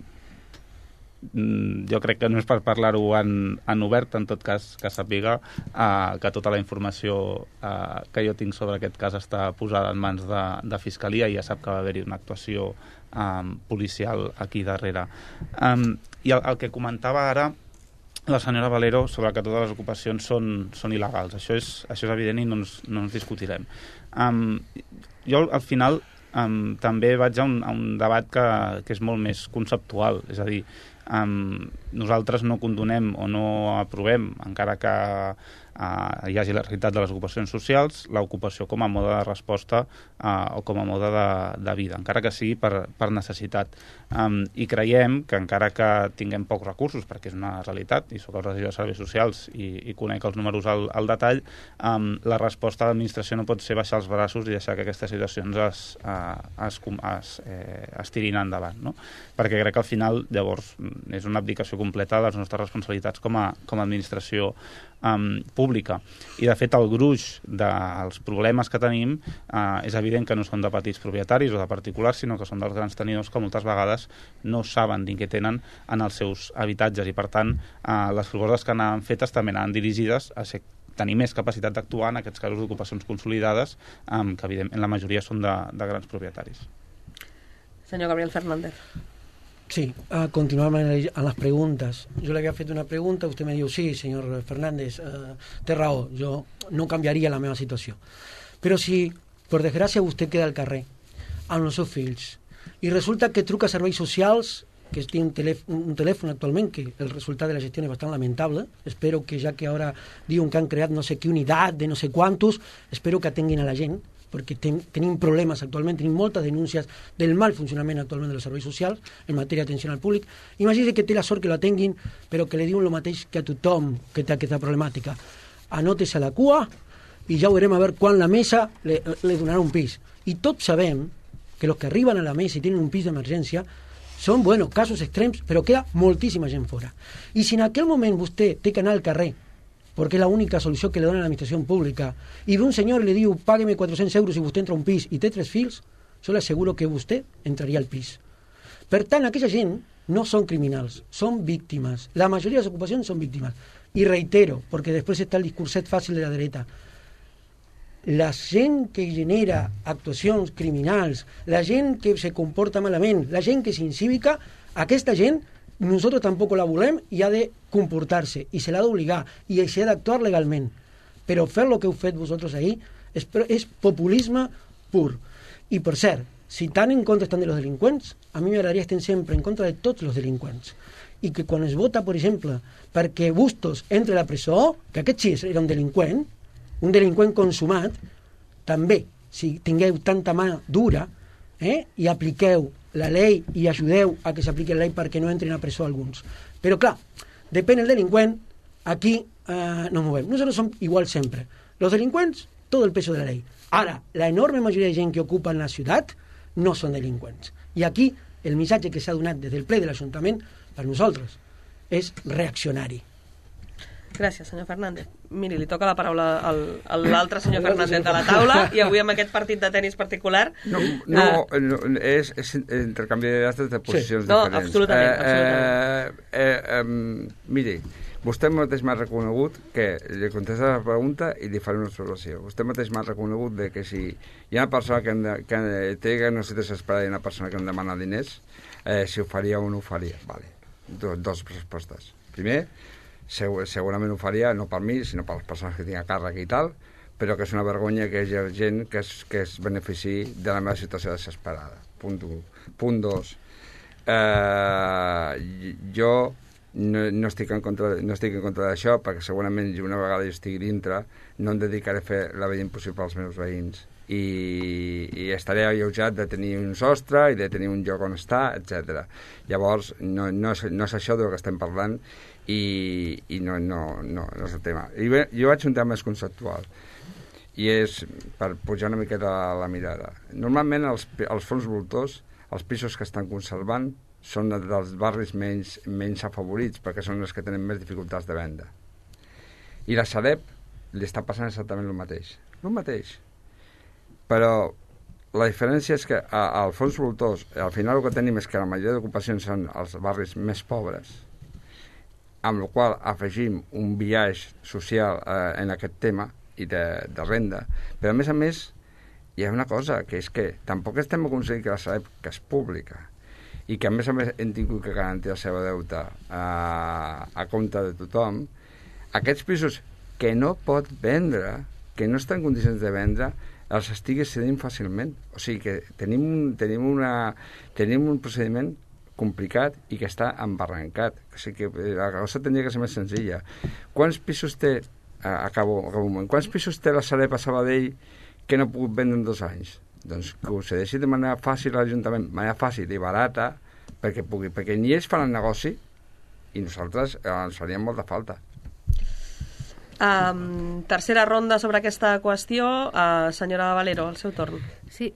jo crec que no és per parlar-ho en, en obert, en tot cas que sàpiga uh, que tota la informació uh, que jo tinc sobre aquest cas està posada en mans de, de Fiscalia i ja sap que va haver-hi una actuació um, policial aquí darrere. Um, I el, el que comentava ara la senyora Valero sobre que totes les ocupacions són, són il·legals. Això és, això és evident i no ens, no ens discutirem. Um, jo al final um, també vaig a un, a un debat que, que és molt més conceptual, és a dir, Um, nosaltres no condonem o no aprovem, encara que uh, hi hagi la realitat de les ocupacions socials, l'ocupació com a mode de resposta uh, o com a mode de, de vida, encara que sigui per, per necessitat. Um, I creiem que encara que tinguem pocs recursos, perquè és una realitat, i soc el regidor de Serveis Socials i, i conec els números al, al detall, um, la resposta de l'administració no pot ser baixar els braços i deixar que aquestes situacions es, uh, es, es, eh, es tirin endavant, no? Perquè crec que al final, llavors, és una abdicació completa de les nostres responsabilitats com a, com a administració um, pública. I, de fet, el gruix dels problemes que tenim uh, és evident que no són de petits propietaris o de particulars, sinó que són dels grans tenidors que moltes vegades no saben ni què tenen en els seus habitatges i, per tant, uh, les propostes que anaven fetes també anaven dirigides a ser tenir més capacitat d'actuar en aquests casos d'ocupacions consolidades, um, que evidentment la majoria són de, de grans propietaris. Senyor Gabriel Fernández. Sí, a continuar a las preguntas. Yo le había hecho una pregunta, usted me dijo, sí, señor Fernández, eh, té raó, jo no canviaria la meva situació. Però si, per desgràcia, vostè queda al carrer amb els seus fills i resulta que truca a serveis socials, que té un, telèfon, un telèfon actualment, que el resultat de la gestió és bastant lamentable, espero que ja que ara diuen que han creat no sé qué unitat de no sé quantos, espero que atenguin a la gent, perquè ten, tenim problemes actualment, tenim moltes denúncies del mal funcionament actualment dels serveis socials en matèria d'atenció al públic. Imagina que té la sort que l'atenguin, però que li diuen el mateix que a tothom que té aquesta problemàtica. Anòtese a la cua i ja veurem a veure quan la mesa li, li donarà un pis. I tots sabem que els que arriben a la mesa i tenen un pis d'emergència són, bueno, casos extrems, però queda moltíssima gent fora. I si en aquell moment vostè té que anar al carrer porque es la única solució que le dona a l'administració pública, i ve un senyor i li diu, págueme cuatrocientos euros i vostè entra a un pis i té tres fills, jo le asseguro que vostè entraria al pis. Per tant, aquella gent no són criminals, són víctimes. La majoria de les ocupacions són víctimes. I reitero, perquè després està el discurset fàcil de la dreta, la gent que genera actuacions criminals, la gent que se comporta malament, la gent que és incívica, aquesta gent nosotros tampoco la volem i ha de comportar-se i se l'ha d'obligar i s'ha d'actuar legalment, però fer el que heu fet vosaltres ahir és, és populisme pur. I per cert, si tan en contra estan de los delinqüents, a mi m'agradaria estar sempre en contra de tots els delinqüents i que quan es vota, per exemple, perquè Bustos entre a la presó, que aquest sí era un delinqüent, un delinqüent consumat, també, si tingueu tanta mà dura, eh, i apliqueu la llei i ajudeu a que s'apliqui la llei perquè no entrin a presó alguns. Però clar, depèn del delinqüent, aquí eh, no movem. Nosaltres som igual sempre. Los delinqüents, tot el peso de la llei. Ara, la enorme majoria de gent que ocupa la ciutat no són delinqüents. I aquí el missatge que s'ha donat des del ple de l'Ajuntament per nosaltres és reaccionari. Gràcies, senyor Fernández. Miri, li toca la paraula al, a l'altre senyor Fernández de la taula i avui amb aquest partit de tenis particular... No, no, uh, no és, és intercanvi de dates de posicions sí. No, diferents. absolutament. Eh, absolutament. Eh, eh, um, miri, vostè mateix m'ha reconegut que li contesta la pregunta i li faré una observació. Vostè mateix m'ha reconegut de que si hi ha una persona que, de, que té una situació desesperada i una persona que em demana diners, eh, si ho faria o no ho faria. Vale. Dos, dos respostes. Primer, segurament ho faria, no per mi, sinó per les persones que tinc a càrrec i tal, però que és una vergonya que hi hagi gent que es, que es benefici de la meva situació desesperada. Punt un. Punt dos. Eh, jo no, no estic en contra, no estic en contra d'això, perquè segurament una vegada jo estigui dintre no em dedicaré a fer la vida impossible als meus veïns i, i estaré alleujat de tenir un sostre i de tenir un lloc on estar, etcètera. Llavors, no, no, és, no és això del que estem parlant i, i no, no, no, no és el tema. I bé, jo vaig un tema més conceptual i és per pujar una miqueta la, la mirada. Normalment els, els fons voltors, els pisos que estan conservant, són dels barris menys, menys afavorits perquè són els que tenen més dificultats de venda. I la Sareb li està passant exactament el mateix. El mateix. Però la diferència és que al fons voltors, al final el que tenim és que la majoria d'ocupacions són els barris més pobres, amb el qual afegim un biaix social eh, en aquest tema i de, de renda. Però a més a més hi ha una cosa, que és que tampoc estem aconseguint que la Sareb, que és pública, i que a més a més hem tingut que garantir el seu deute a, a compte de tothom, aquests pisos que no pot vendre, que no està en condicions de vendre, els estigui cedint fàcilment. O sigui que tenim un, tenim una, tenim un procediment complicat i que està embarrancat. O sigui que la cosa tindria que ser més senzilla. Quants pisos té, acabo, acabo un moment, quants pisos té la Sareb a Sabadell que no ha pogut vendre en dos anys? Doncs que ho cedeixi de manera fàcil a l'Ajuntament, de manera fàcil i barata, perquè, pugui, perquè ni ells fan el negoci i nosaltres eh, ens faríem molta falta. Um, tercera ronda sobre aquesta qüestió. Uh, senyora Valero, el seu torn. Sí,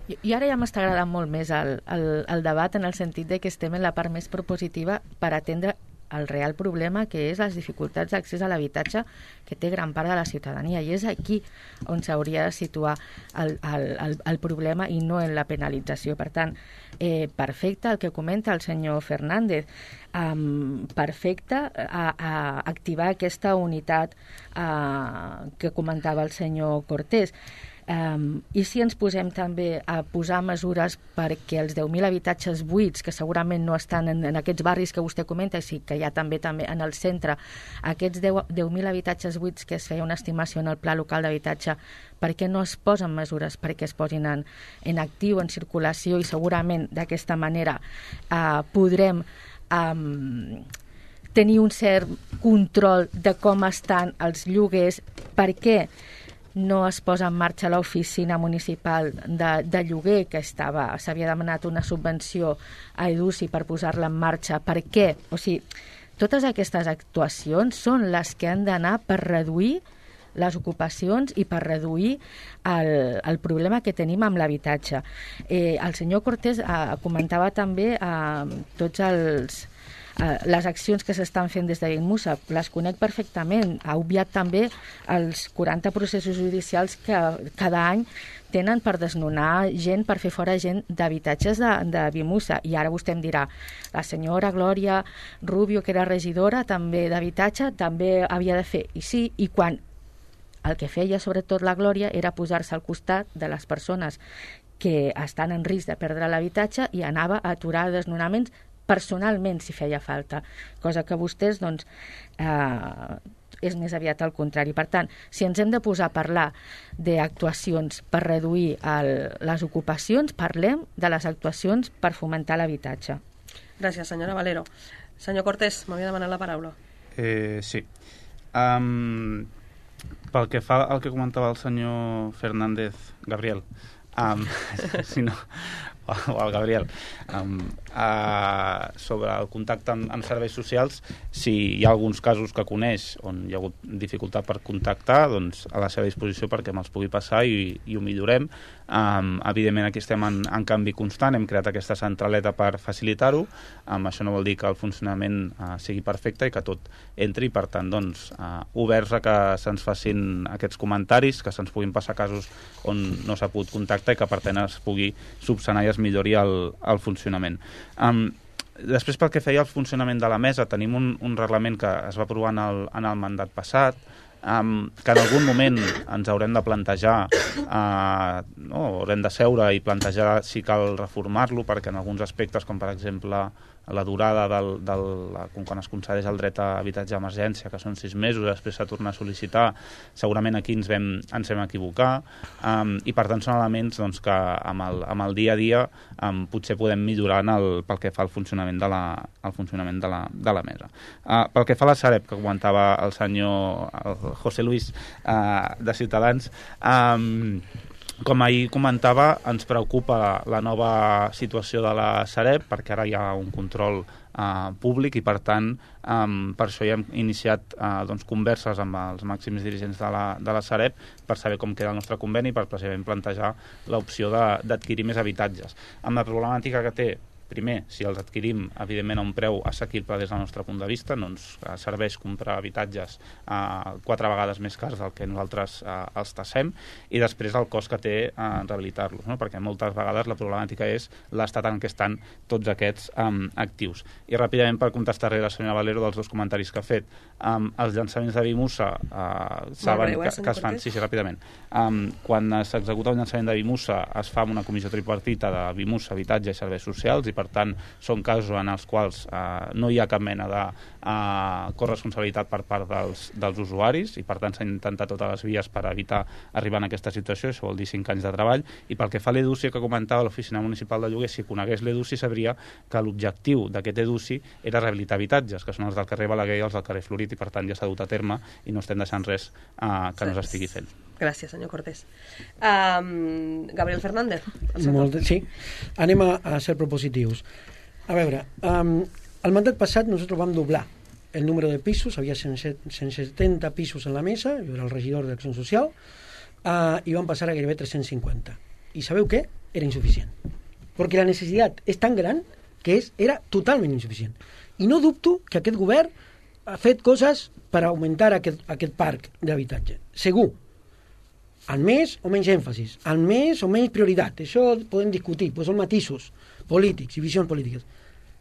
i, i ara ja m'està agradant molt més el, el, el debat en el sentit de que estem en la part més propositiva per atendre el real problema, que és les dificultats d'accés a l'habitatge que té gran part de la ciutadania, i és aquí on s'hauria de situar el, el, el, el problema i no en la penalització. Per tant, eh, perfecte el que comenta el senyor Fernández, um, perfecte a, a activar aquesta unitat uh, que comentava el senyor Cortés. Um, I si ens posem també a posar mesures perquè els deu mil habitatges buits, que segurament no estan en, en aquests barris que vostè comenta, i sí que hi ha també també en el centre, aquests deu mil habitatges buits que es feia una estimació en el Pla Local d'Habitatge, per què no es posen mesures perquè es posin en, en actiu, en circulació, i segurament d'aquesta manera uh, podrem um, tenir un cert control de com estan els lloguers. Per què no es posa en marxa l'oficina municipal de, de lloguer, que estava, s'havia demanat una subvenció a Edusi per posar-la en marxa? Per què? O sigui, totes aquestes actuacions són les que han d'anar per reduir les ocupacions i per reduir el, el problema que tenim amb l'habitatge. Eh, el senyor Cortés eh, comentava també eh, tots els Uh, les accions que s'estan fent des de Bimusa, les conec perfectament. Ha obviat també els quaranta processos judicials que cada any tenen per desnonar gent, per fer fora gent d'habitatges de, de Bimusa. I ara vostè em dirà, la senyora Glòria Rubio, que era regidora també d'habitatge, també havia de fer. I sí, i quan el que feia sobretot la Glòria era posar-se al costat de les persones que estan en risc de perdre l'habitatge i anava a aturar desnonaments personalment si feia falta, cosa que vostès doncs eh, és més aviat al contrari. Per tant, si ens hem de posar a parlar d'actuacions per reduir el, les ocupacions, parlem de les actuacions per fomentar l'habitatge. Gràcies, senyora Valero. Senyor Cortés, m'havia demanat la paraula. Eh, sí. Um, pel que fa al que comentava el senyor Fernández, Gabriel, um, si no, o el Gabriel, um, uh, sobre el contacte amb, amb serveis socials, si hi ha alguns casos que coneix on hi ha hagut dificultat per contactar, doncs a la seva disposició perquè me'ls pugui passar i, i ho millorem. Um, evidentment aquí estem en, en canvi constant, hem creat aquesta centraleta per facilitar-ho. Um, això no vol dir que el funcionament uh, sigui perfecte i que tot entri, per tant, doncs, uh, oberts a que se'ns facin aquests comentaris, que se'ns puguin passar casos on no s'ha pogut contactar i que per tant es pugui subsanar i es millori el, el funcionament. Um, després, pel que feia al funcionament de la mesa, tenim un, un reglament que es va aprovar en el, en el mandat passat, um, que en algun moment ens haurem de plantejar, uh, no, haurem de seure i plantejar si cal reformar-lo, perquè en alguns aspectes, com per exemple la durada del, del, quan es concedeix el dret a habitatge d'emergència, que són sis mesos, després s'ha tornat a sol·licitar, segurament aquí ens vam, ens vam equivocar, um, i per tant són elements doncs, que amb el, amb el dia a dia um, potser podem millorar en el, pel que fa al funcionament de la, al funcionament de la, de la mesa. Uh, pel que fa a la Sareb, que comentava el senyor el José Luis uh, de Ciutadans, um, Com ahir comentava, ens preocupa la nova situació de la Sareb, perquè ara hi ha un control eh, públic i, per tant, eh, per això ja hem iniciat eh, doncs, converses amb els màxims dirigents de la, de la Sareb per saber com queda el nostre conveni, per precisament plantejar l'opció d'adquirir més habitatges. Amb la problemàtica que té, primer, si els adquirim, evidentment, a un preu assequible des del nostre punt de vista, no ens serveix comprar habitatges eh, quatre vegades més cars del que nosaltres eh, els tassem, i després el cost que té eh, rehabilitar-los, no? Perquè moltes vegades la problemàtica és l'estat en què estan tots aquests eh, actius. I ràpidament, per contestar-li a la senyora Valero dels dos comentaris que ha fet, eh, els llançaments de Bimusa eh, saben breu, eh, que, que es fan... Sí, sí, ràpidament. Um, quan s'executa un llançament de Bimusa es fa amb una comissió tripartita de Bimusa, habitatge i serveis socials, i per tant són casos en els quals eh, no hi ha cap mena de eh, corresponsabilitat per part dels, dels usuaris, i per tant s'han intentat totes les vies per evitar arribar en aquesta situació. Això vol dir cinc anys de treball. I pel que fa a l'Educi que comentava l'Oficina Municipal de Lloguer, si conegués l'Educi sabria que l'objectiu d'aquest Educi era rehabilitar habitatges, que són els del carrer Balaguer i els del carrer Florit, i per tant ja s'ha dut a terme i no estem deixant res eh, que no s'estigui fent. Gràcies, senyor Cortés. Um, Gabriel Fernández. Molt, sí, anem a, a ser propositius. A veure, um, el mandat passat nosaltres vam doblar el número de pisos, havia cent setanta pisos en la mesa, jo era el regidor d'Acció Social, uh, i vam passar a gairebé tres-cents cinquanta. I sabeu què? Era insuficient. Perquè la necessitat és tan gran que és, era totalment insuficient. I no dubto que aquest govern ha fet coses per augmentar aquest, aquest parc d'habitatge. Segur. Amb més o menys èmfasis, amb més o menys prioritat, això podem discutir, doncs són matisos polítics i visions polítiques,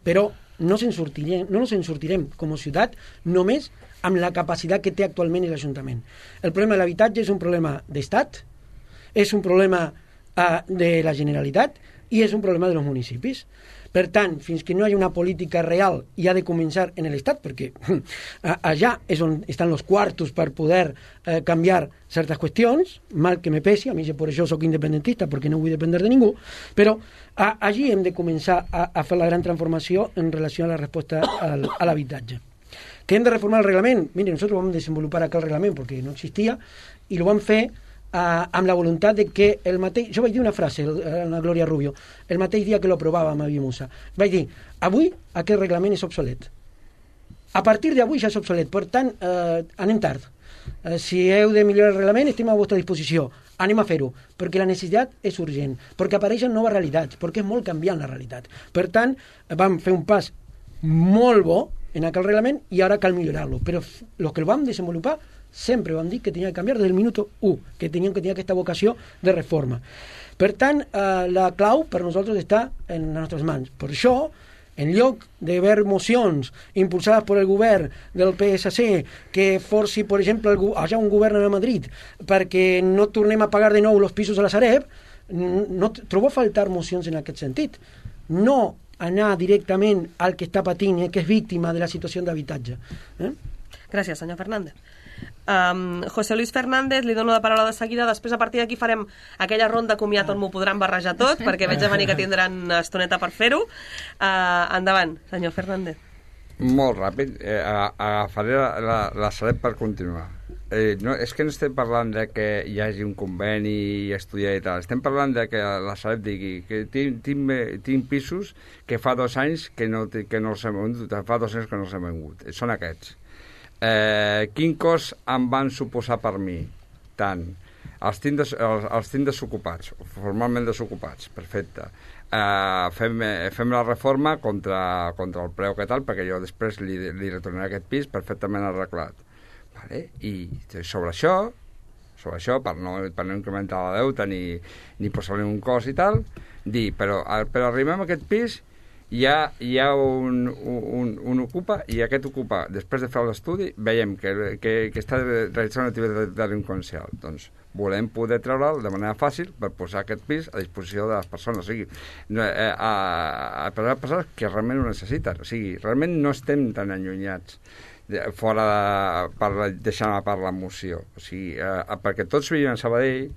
però no se'n sortirem, no ens en sortirem com a ciutat només amb la capacitat que té actualment l'Ajuntament. El problema de l'habitatge és un problema d'Estat, és un problema uh, de la Generalitat i és un problema dels municipis. Per tant, fins que no hi ha una política real i ha de començar en l'Estat, perquè allà és on estan els quartos per poder eh, canviar certes qüestions, mal que me pesi, a mi per això soc independentista, perquè no vull dependre de ningú, però a, allí hem de començar a, a fer la gran transformació en relació a la resposta al, a l'habitatge. Que hem de reformar el reglament? Mire, nosaltres vam desenvolupar aquell reglament perquè no existia i el vam fer Uh, amb la voluntat de que el mateix... Jo vaig dir una frase a la Glòria Rubio el mateix dia que lo aprovàvem a Bimusa. Vaig dir, avui aquest reglament és obsolet. A partir d'avui ja és obsolet. Per tant, uh, anem tard. Uh, si heu de millorar el reglament, estem a vostra disposició. Anem a fer-ho, perquè la necessitat és urgent, perquè apareixen noves realitats, perquè és molt canviant la realitat. Per tant, vam fer un pas molt bo en aquell reglament i ara cal millorar-lo. Però els que el vam desenvolupar sempre vam dir que tenia que canviar des del minut u, que tenien que tenir aquesta vocació de reforma. Per tant, eh, la clau per nosaltres està en les nostres mans. Per això, en lloc de ver mocions impulsades per el govern del P S C que forci, per exemple, allà un govern a Madrid perquè no tornem a pagar de nou els pisos a la Sareb, no trobo a faltar mocions en aquest sentit. No anar directament al que està patint i que és víctima de la situació d'habitatge. Eh? Gràcies, senyor Fernández. Um, José Luis Fernández, li dono la paraula de seguida. Després, a partir d'aquí, farem aquella ronda comiat on m'ho podran barrejar tot, perquè veig a venir que tindran estoneta per fer-ho. Uh, endavant, senyor Fernández. Molt ràpid. Eh, agafaré la, la, la Sareb per continuar. Eh, no, és que no estem parlant de que hi hagi un conveni i estudiar i tal. Estem parlant de que la Sareb digui que tinc, tinc, tinc pisos que fa dos anys que no, que no els hem vengut, fa dos anys que no els hem vengut. Són aquests. Eh, quin cost em van suposar per mi? Tant. Els tinc, des, els, els tinc desocupats, formalment desocupats, perfecte. Eh, fem, fem la reforma contra, contra el preu que tal, perquè jo després li, li retornaré aquest pis perfectament arreglat. Vale? I sobre això, sobre això, per no, per no incrementar la deuta ni, ni posar-li un cost i tal, dir, però, però arribem a aquest pis, hi ha, hi ha un, un, un ocupa i aquest ocupa, després de fer l'estudi, veiem que, que, que està realitzant una activitat delinqüencial. Doncs volem poder treure'l de manera fàcil per posar aquest pis a disposició de les persones. O sigui, eh, a, a, a les persones que realment ho necessiten. O sigui, realment no estem tan allunyats de, fora de, per deixar a part la moció. O sigui, eh, perquè tots vivim a Sabadell,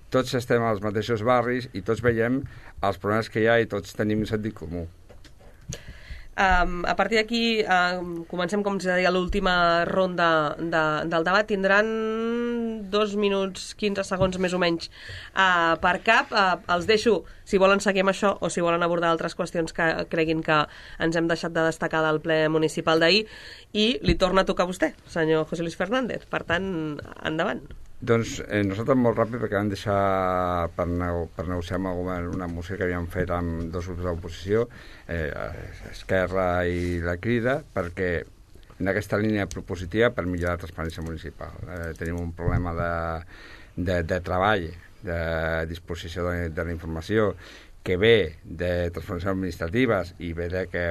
tots estem als mateixos barris i tots veiem els problemes que hi ha i tots tenim sentit comú. Um, a partir d'aquí um, comencem, com ja deia, l'última ronda de, del debat. Tindran dos minuts, quinze segons més o menys uh, per cap. Uh, els deixo, si volen seguir amb això o si volen abordar altres qüestions que creguin que ens hem deixat de destacar del ple municipal d'ahir, i li torna a tocar a vostè, senyor José Luis Fernández. Per tant, endavant. Doncs eh, nosaltres molt ràpid, perquè vam deixar per, nego per negociar amb el govern una moció que havíem fet amb dos grups d'oposició, eh, Esquerra i la Crida, perquè en aquesta línia propositiva per millorar la transparència municipal. Eh, tenim un problema de, de, de treball, de disposició de, de la informació, que ve de transformacions administratives i ve de que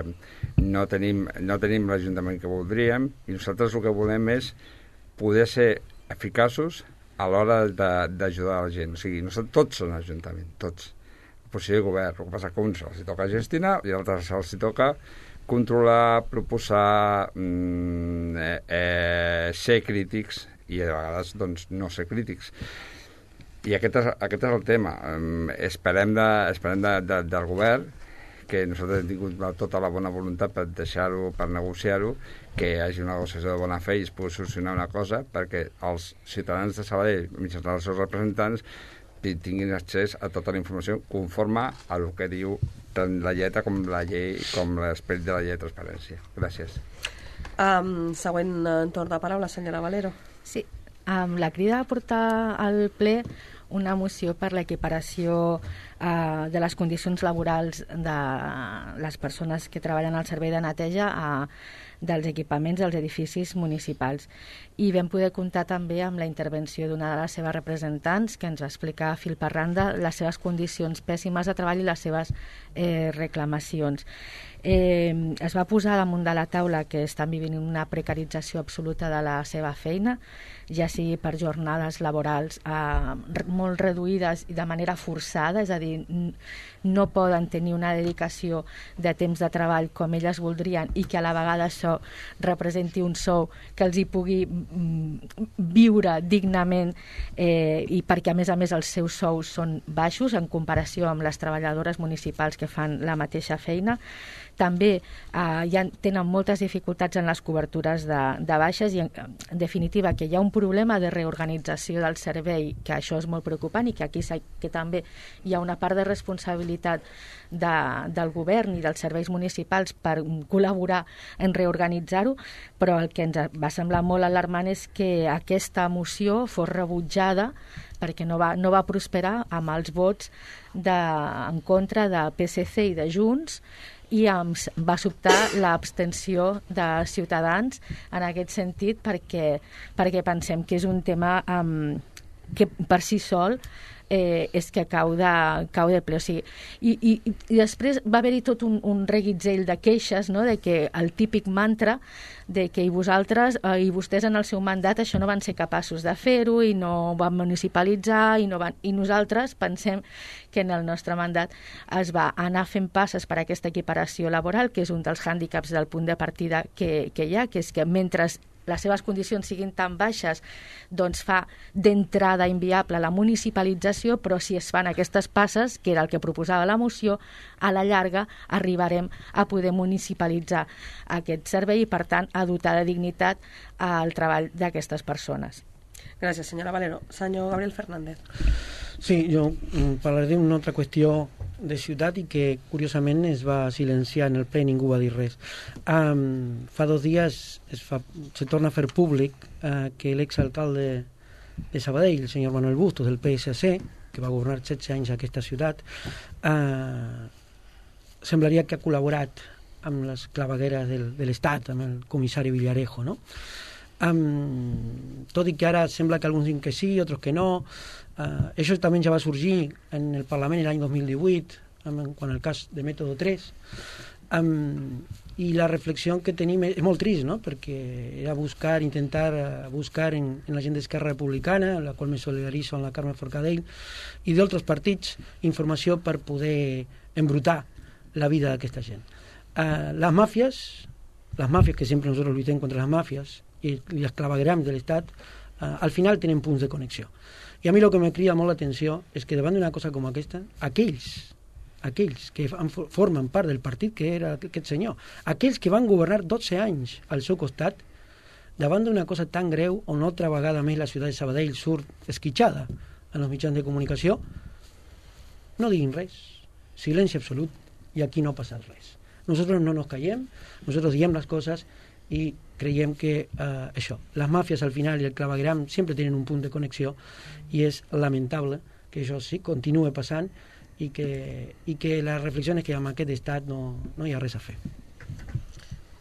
no tenim, no tenim l'Ajuntament que voldríem, i nosaltres el que volem és poder ser eficaços a l'hora d'ajudar la gent. O sigui, nosaltres tots són Ajuntament, tots. Oposició i govern. El que passa que a uns els toca gestionar i a altres els toca controlar, proposar, mm, eh, eh, ser crítics i a vegades doncs, no ser crítics. I aquest és, aquest és el tema. Um, esperem, de, esperem de, de, del govern, que nosaltres hem tingut tota la bona voluntat per deixar-ho, per negociar-ho, que hi hagi una negociació de bona fe i es pugui solucionar una cosa perquè els ciutadans de Sabadell, mitjançant els seus representants, tinguin accés a tota la informació conforme a el que diu tant la lletra com la llei, com l'esperit de la llei de transparència. Gràcies. Um, següent torn de paraula, senyora Valero. Sí, um, la Crida va portar al ple una moció per l'equiparació eh, de les condicions laborals de les persones que treballen al servei de neteja a, dels equipaments dels edificis municipals. I vam poder comptar també amb la intervenció d'una de les seves representants que ens va explicar a fil per randa les seves condicions pèssimes de treball i les seves eh, reclamacions. Eh, es va posar damunt de la taula que estan vivint una precarització absoluta de la seva feina, ja sigui per jornades laborals eh, molt reduïdes i de manera forçada, és a dir, no poden tenir una dedicació de temps de treball com elles voldrien i que a la vegada això representi un sou que els hi pugui mm, viure dignament eh, i perquè a més a més els seus sous són baixos en comparació amb les treballadores municipals que fan la mateixa feina. També eh, ja tenen moltes dificultats en les cobertures de, de baixes i en, en definitiva que hi ha un problema de reorganització del servei, que això és molt preocupant i que aquí que també hi ha una part de responsabilitat de, del govern i dels serveis municipals per col·laborar en reorganitzar-ho, però el que ens va semblar molt alarmant és que aquesta moció fos rebutjada perquè no va, no va prosperar amb els vots de, en contra de P S C i de Junts, i ens va sobtar l'abstenció de Ciutadans en aquest sentit perquè, perquè pensem que és un tema um, que per si sol eh, és que cau de, cau de ple. O sigui, i, i, i després va haver-hi tot un, un reguitzell de queixes, no?, de que el típic mantra de que i vosaltres eh, i vostès en el seu mandat això no van ser capaços de fer-ho i no van municipalitzar i, no van, i nosaltres pensem que en el nostre mandat es va anar fent passes per aquesta equiparació laboral, que és un dels hàndicaps del punt de partida que, que hi ha, que és que mentre les seves condicions siguin tan baixes, doncs fa d'entrada inviable la municipalització, però si es fan aquestes passes, que era el que proposava la moció, a la llarga arribarem a poder municipalitzar aquest servei i, per tant, a dotar de dignitat al treball d'aquestes persones. Gràcies, senyora Valero. Senyor Gabriel Fernández. Sí, jo parlaré d'una altra qüestió de ciutat i que curiosament es va silenciar en el ple, ningú va dir res. Um, fa dos dies es, fa, se torna a fer públic uh, que l'exalcalde de Sabadell, el senyor Manuel Bustos, del P S C, que va governar setze anys a aquesta ciutat, uh, semblaria que ha col·laborat amb les clavegueres del, de l'Estat, amb el comissari Villarejo, no? Um, tot i que ara sembla que alguns diuen que sí, otros que no. Uh, això també ja va sorgir en el Parlament l'any dos mil divuit, amb, quan el cas de Método tres. Um, I la reflexió que tenim és, és molt trist, no?, perquè era buscar, intentar uh, buscar en, en la gent d'Esquerra Republicana, la qual me solidarizo amb la Carme Forcadell, i d'altres partits, informació per poder embrutar la vida d'aquesta gent. Uh, les màfies, les màfies que sempre nosaltres lluitem contra les màfies, i les clavegueram de l'Estat, eh, al final tenen punts de connexió. I a mi el que me crida molt l'atenció és que davant d'una cosa com aquesta, aquells, aquells que han, formen part del partit que era aquest senyor, aquells que van governar dotze anys al seu costat, davant d'una cosa tan greu, on altra vegada més la ciutat de Sabadell surt esquitxada en els mitjans de comunicació, no diguin res, silenci absolut, i aquí no ha passat res. Nosotros no nos callem, nosotros diem les coses i creiem que eh, això, les màfies al final i el clavegueram sempre tenen un punt de connexió i és lamentable que això sí continue passant i que, i que les reflexions que amb aquest estat no, no hi ha res a fer.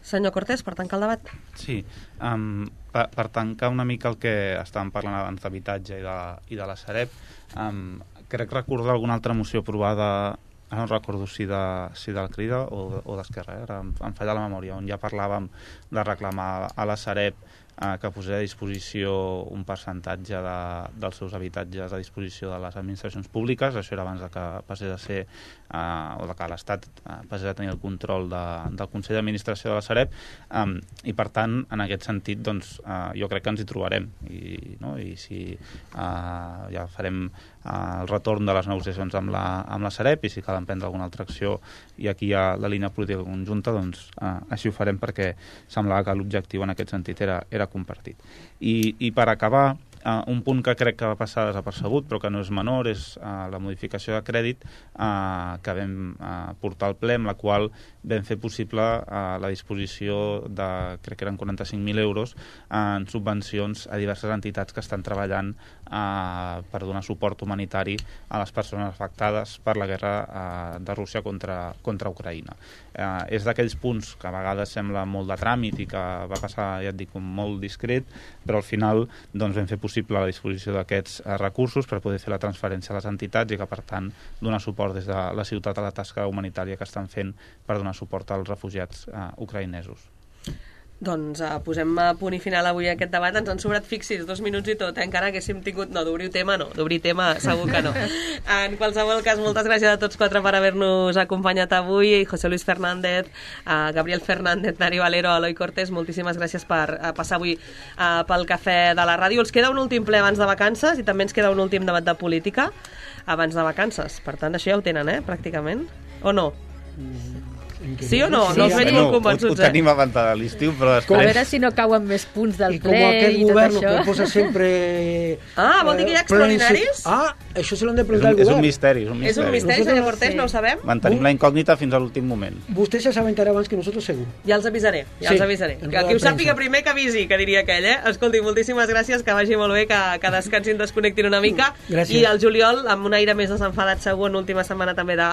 Senyor Cortés, per tancar el debat. Sí, um, per, per tancar una mica el que estàvem parlant abans d'habitatge i, de, i de la Sareb, um, crec recordar alguna altra moció aprovada, ara no recordo si de, si del Crida o, o d'Esquerra, eh? Ara em, em falla la memòria, on ja parlàvem de reclamar a la Sareb eh, que posés a disposició un percentatge de, dels seus habitatges a disposició de les administracions públiques. Això era abans de que passés a ser eh, o de que l'Estat eh, passés a tenir el control de, del Consell d'Administració de la Sareb, um, i per tant, en aquest sentit, doncs, eh, jo crec que ens hi trobarem i, no? I si eh, ja farem eh, el retorn de les negociacions amb la, amb la Sareb, i si cal emprendre alguna altra acció i aquí hi ha la línia política conjunta, doncs eh, així ho farem, perquè semblava que l'objectiu en aquest sentit era, era compartit. I, i per acabar, Uh, un punt que crec que va passar desapercebut, però que no és menor, és uh, la modificació de crèdit uh, que vam uh, portar al ple, amb la qual vam fer possible uh, la disposició de, crec que eren quaranta-cinc mil euros, uh, en subvencions a diverses entitats que estan treballant uh, per donar suport humanitari a les persones afectades per la guerra uh, de Rússia contra, contra Ucraïna. Uh, és d'aquells punts que a vegades sembla molt de tràmit i que va passar, ja et dic, molt discret, però al final doncs, vam fer possible la disposició d'aquests eh, recursos per poder fer la transferència a les entitats i que, per tant, donar suport des de la ciutat a la tasca humanitària que estan fent per donar suport als refugiats eh, ucraïnesos. Doncs uh, posem a punt i final avui aquest debat. Ens han sobrat, fixis, dos minuts i tot, eh? Encara haguéssim tingut... No, d'obrir tema no, d'obrir tema segur que no. En qualsevol cas, moltes gràcies a tots quatre per haver-nos acompanyat avui. José Luis Fernández, uh, Gabriel Fernández, Nari Valero, Eloi Cortés, moltíssimes gràcies per uh, passar avui uh, pel cafè de la ràdio. Els queda un últim ple abans de vacances i també ens queda un últim debat de política abans de vacances. Per tant, això ja ho tenen, eh, pràcticament. O no? Mm. Sí o no? Sí, no us veig molt convençuts, ho, ho tenim abans de l'estiu, però després... A veure si no cauen més punts del I ple com aquest i tot govern això. que posa sempre... Ah, vol dir que hi ha extraordinaris? Ah, això se l'han de És preguntar un, al és govern. un misteri. És un És un misteri. misteri, Nosotros- senyor Cortés, sí. no ho sabem? Mantenim la incògnita fins a l'últim moment. Vostè ja s'aventarà abans que nosotros segur. Ja els avisaré, ja Sí, els avisaré. en Que roda qui ho de sàpiga premsa. primer que avisi, que diria aquell, eh? Escolti, moltíssimes gràcies, que vagi molt bé, que, que descansin, desconnectin una mica. Gràcies. I el juliol, amb un aire més desenfadat segur, en última setmana també de,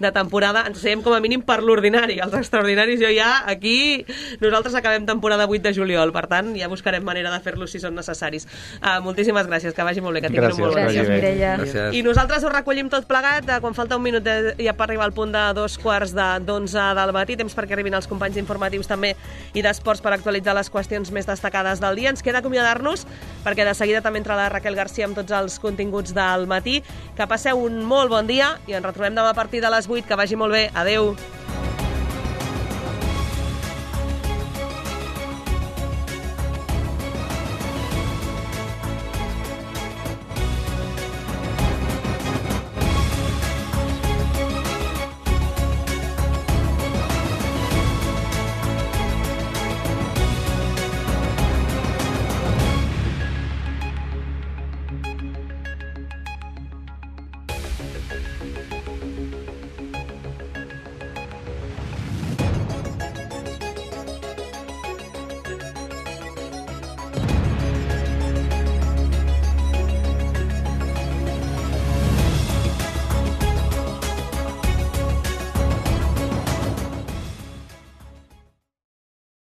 de temporada, ens seiem com a mínim per l'ordinari. Els extraordinaris jo ja, aquí, nosaltres acabem temporada vuit de juliol, per tant, ja buscarem manera de fer-los si són necessaris. Uh, moltíssimes gràcies, que vagi molt bé, que tinguin Gràcies, un molt bon Gràcies, dia. Mireia. Gràcies. I nosaltres ho recollim tot plegat, eh, quan falta un minut de, ja per arribar al punt de dos quarts de d'onze del matí, temps perquè arribin els companys informatius també i d'esports per actualitzar les qüestions més destacades del dia. Ens queda acomiadar-nos, perquè de seguida també entra la Raquel García amb tots els continguts del matí. Que passeu un molt bon dia i ens retrobem demà a partir de les vuit. Que vagi molt bé. Adeu.